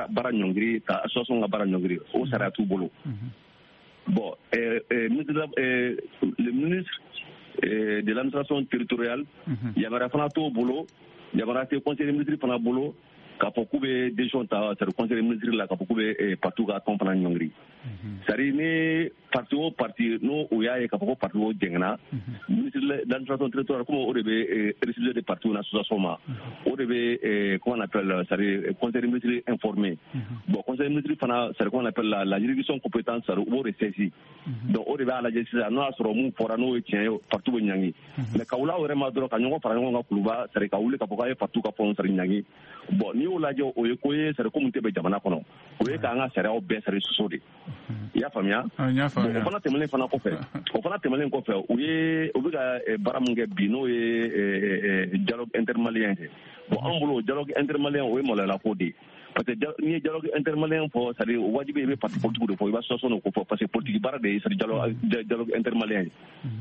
baara ɲɔngiri, ka association ka baara ɲɔngiri, o sariya t'u bolo. Bon, le ministre de l'administration territoriale, yamaruya fana t'o bolo, yamaruya tɛ conseil des ministres fana bolo. K'a fɔ k'u bɛ décision ta, c'est à dire conseil des ministres la, k'a fɔ k'u bɛ parti ka tɔn fana ɲɔngiri. C'est à dire ni parti o parti n'o o y'a ye k'a fɔ ko parti o jɛngɛnna, ministre de l'administration territoriale, comme o de bɛ récépissé de parti na association ma, o de bɛ, comment on appelle, c'est à dire conseil des ministres informé. Bon, conseil des ministres fana, c'est à dire comment on appelle, la juridiction compétente, c'est à dire u b'o de saisi. Donc o de b'a lajɛ sisan n'o y'a sɔrɔ mun fɔra n'o ye tiɲɛ ye, parti bɛ ɲangi. Mais ka wuli aw yɛrɛ ma dɔrɔn ka ɲɔgɔn fara ɲɔgɔn kan Kuluba, c'est à dire ka wuli k'a fɔ k'a ye parti ka fɛnw, c'est à dire ɲangi. Bon, n'i y'o lajɛ, o ye ko ye, c'est à dire ko mun tɛ bɛn jamana kɔnɔ, o ye k'an ka sariyaw bɛɛ, c'est à dire sɔsɔ de. I y'a faamuya? O fana tɛmɛnen fana kɔfɛ, o fana tɛmɛnen kɔfɛ, u ye u bɛ ka baara mun kɛ bi, n'o ye dialogue intermalien ye. Bon, an bolo dialogue intermalien, o ye maloyala ko de ye. Parce que n'i ye dialogue intermalien fɔ, c'est à dire wajibi i bɛ parti politique de fɔ, i b'a association de ko fɔ, parce que politique baara de ye, c'est à dire dialogue intermalien ye.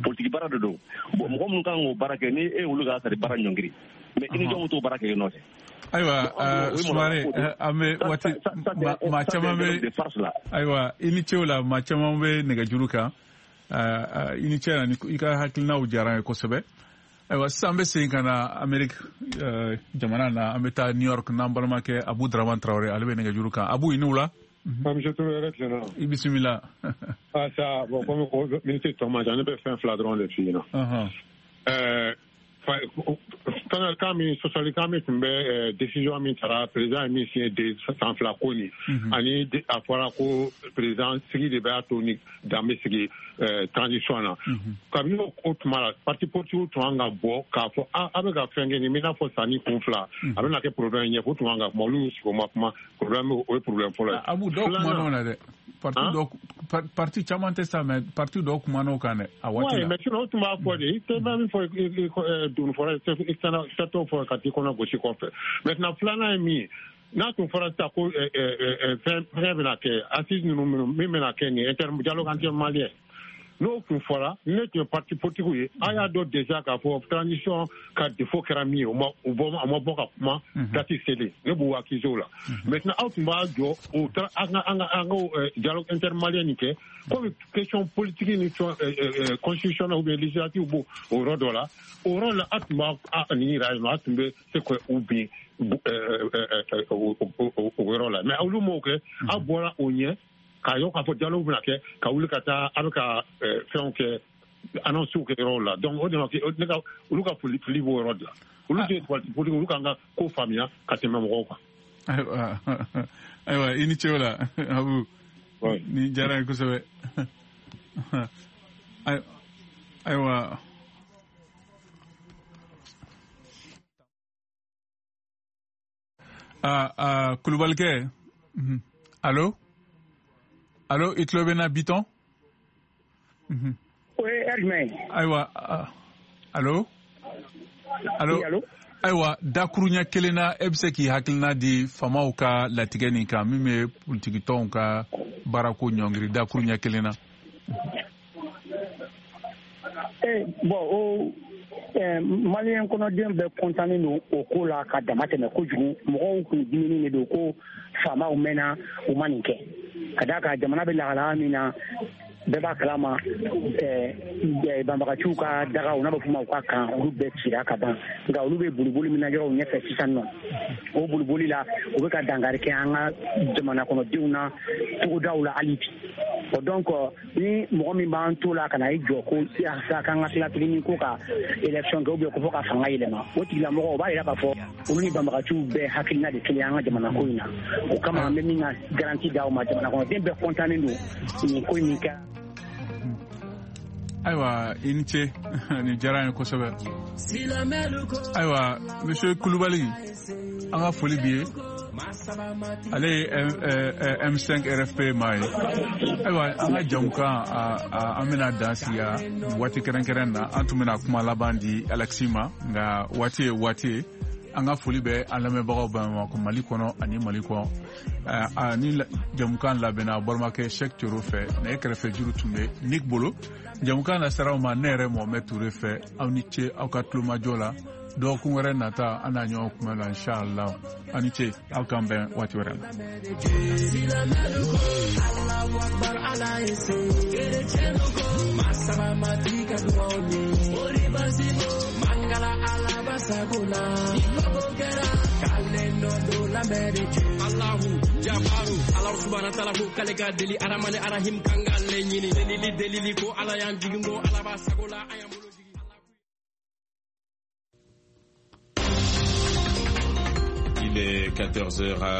Politique baara de don. Bon, mɔgɔ minnu kan k'o baara kɛ, ni e y'olu ka, c'est à dire baara ɲɔngiri, mais i ni jɔn t'o baara kɛ i nɔfɛ. Ayiwa, Sumare, an bɛ waati maa caman bɛ, ayiwa, i ni ce o la, maa caman bɛ nɛgɛjuru kan. I ni ce na, i ka hakilinaw diyara an ye kosɛbɛ. Ayiwa, sisan an bɛ segin ka na Amerique jamana na, an bɛ taa New York n'an balimakɛ Abu Dramane Traoré, ale bɛ nɛgɛjuru kan. Abu, i ni wula. Monsieur Touré, yɛrɛ tilenna. I bisimila. Ah ça, bon, comme minute tɔ man ca, ne bɛ fɛn fila dɔrɔn de f'i ɲɛna. Kan min sɔsɔlikan min tun bɛ décision min tara, président ye min signé de san 2 ko nin, ani a fɔra ko président sigi de b'a to ni dan bɛ sigi transition na. Kabini o tuma la, parti politique tun kan ka bɔ k'a fɔ a bɛ ka fɛn kɛ nin, i n'a fɔ sanni kun fila, a bɛna kɛ problème ɲɛfɔ. O tun kan ka kuma, olu y'u sigi o ma kuma. Problème, o ye problème fɔlɔ ye. Abu, dɔw kumana o la dɛ. Parti dɔw, parti caman tɛ sa, mais parti dɔw kumana o kan dɛ a waati la. Mais sinon o tun b'a fɔ de, i tɛ min fɔ doni fɔra, i t'o fɔ ka t'i kɔnɔ gosi kɔfɛ. Maintenant, filanan ye min ye, n'a tun fɔra sisan ko fɛn bɛna kɛ, assise ninnu min bɛna kɛ nin inter dialogue intermalien, n'o tun fɔra, ne tun ye parti politique ye, a y'a dɔn déjà k'a fɔ transition ka défaut kɛra min ye, o ma bɔ ka kuma date selen, ne b'u accuser o la. Maintenant, aw tun b'a jɔ o an ka dialogue intermalien nin kɛ, komi question politique ni constitutionnelle ou bien législative b'o o yɔrɔ dɔ la, o yɔrɔ la a tun b'a nin yira yen nɔ, a tun bɛ se ka u bin o yɔrɔ la. Mais olu m'o kɛ, aw bɔra o ɲɛ k'a ye k'a fɔ dialogue bɛna kɛ, ka wuli ka taa a bɛ ka fɛnw kɛ, annonce kɛ yɔrɔw la. Donc o de ma ne ka olu ka fili b'o yɔrɔ de la. Olu tɛ parti politique, olu k'an ka ko faamuya ka tɛmɛ mɔgɔw kan. Ayiwa, i ni ce o la, Abu. Ni diyara n ye kosɛbɛ. Ayiwa. Kulubalikɛ, allo? Allo, i tulo bɛ n na, Bitɔn? O ye heure jumɛn ye? Ayiwa, allo? Allo? Ayiwa, dakuruɲɛ kelen na, e bɛ se k'i hakilina di faamaw ka latigɛ nin kan min bɛ politikitɔnw ka baarako ɲɔngiri, dakuruɲɛ kelen na. Bon, o maliyɛn kɔnɔden bɛɛ kɔntannen don o ko la ka dama tɛmɛ kojugu. Mɔgɔw kun diminen de don ko faamaw mɛnna u ma nin kɛ, ka d'a kan jamana bɛ lahalaya min na, bɛɛ b'a kalama, banbagaciw ka dagaw n'a bɛ f'o ma u ka kan, olu bɛɛ cira ka ban. Nka olu bɛ boliboli min na yɔrɔw ɲɛfɛ sisan nɔ, o boliboli la u bɛ ka dankari kɛ an ka jamana kɔnɔdenw na togodaw la hali bi. O donc ni mɔgɔ min b'an to la ka na i jɔ ko sa k'an ka tila tuguni ko ka élection kɛ ou bien ko fɔ ka fanga yɛlɛma, o tigilamɔgɔ o b'a yira k'a fɔ olu ni banbagaciw bɛɛ hakilina de kelen an ka jamana ko in na. O kama an bɛ min ka garantie d'aw ma, jamana kɔnɔden bɛɛ kɔntannen don nin ko in kɛ. Ayiwa, i ni ce, nin diyara n ye kosɛbɛ. Ayiwa, monsieur Kulubali, an ka foli b'i ye. Ale ye M5 RFP maa ye. Ayiwa, an ka jamukan an bɛna dan sigi waati kɛrɛnkɛrɛn na. An tun bɛna kuma laban di Alexis ma, nka waati ye waati ye. An ka foli bɛ an lamɛnbagaw bɛɛ ma ko Mali kɔnɔ ani Mali kɔ. Ni jamukan labɛnna balimakɛ Cheikh Thioro fɛ, nɛgɛ kɛrɛfɛ juru tun bɛ Nick bolo. Jamukan lasera aw ma ne yɛrɛ Mohamed Touré fɛ. Aw ni ce aw ka tulomajɔ la. Dɔgɔkun wɛrɛ nata an n'a ɲɔgɔn kunbɛn la, inshallah. Aw ni ce, aw k'an bɛn waati wɛrɛ la. K'ale nɔ don la main de Dieu. Allahu jabaru Ala subahana taala ko k'ale ka deli aramani arahim kan k'ale ɲini delili delili ko Ala y'an jigin ko Ala b'a sago la an y'an bolo jigin. Il est 14h.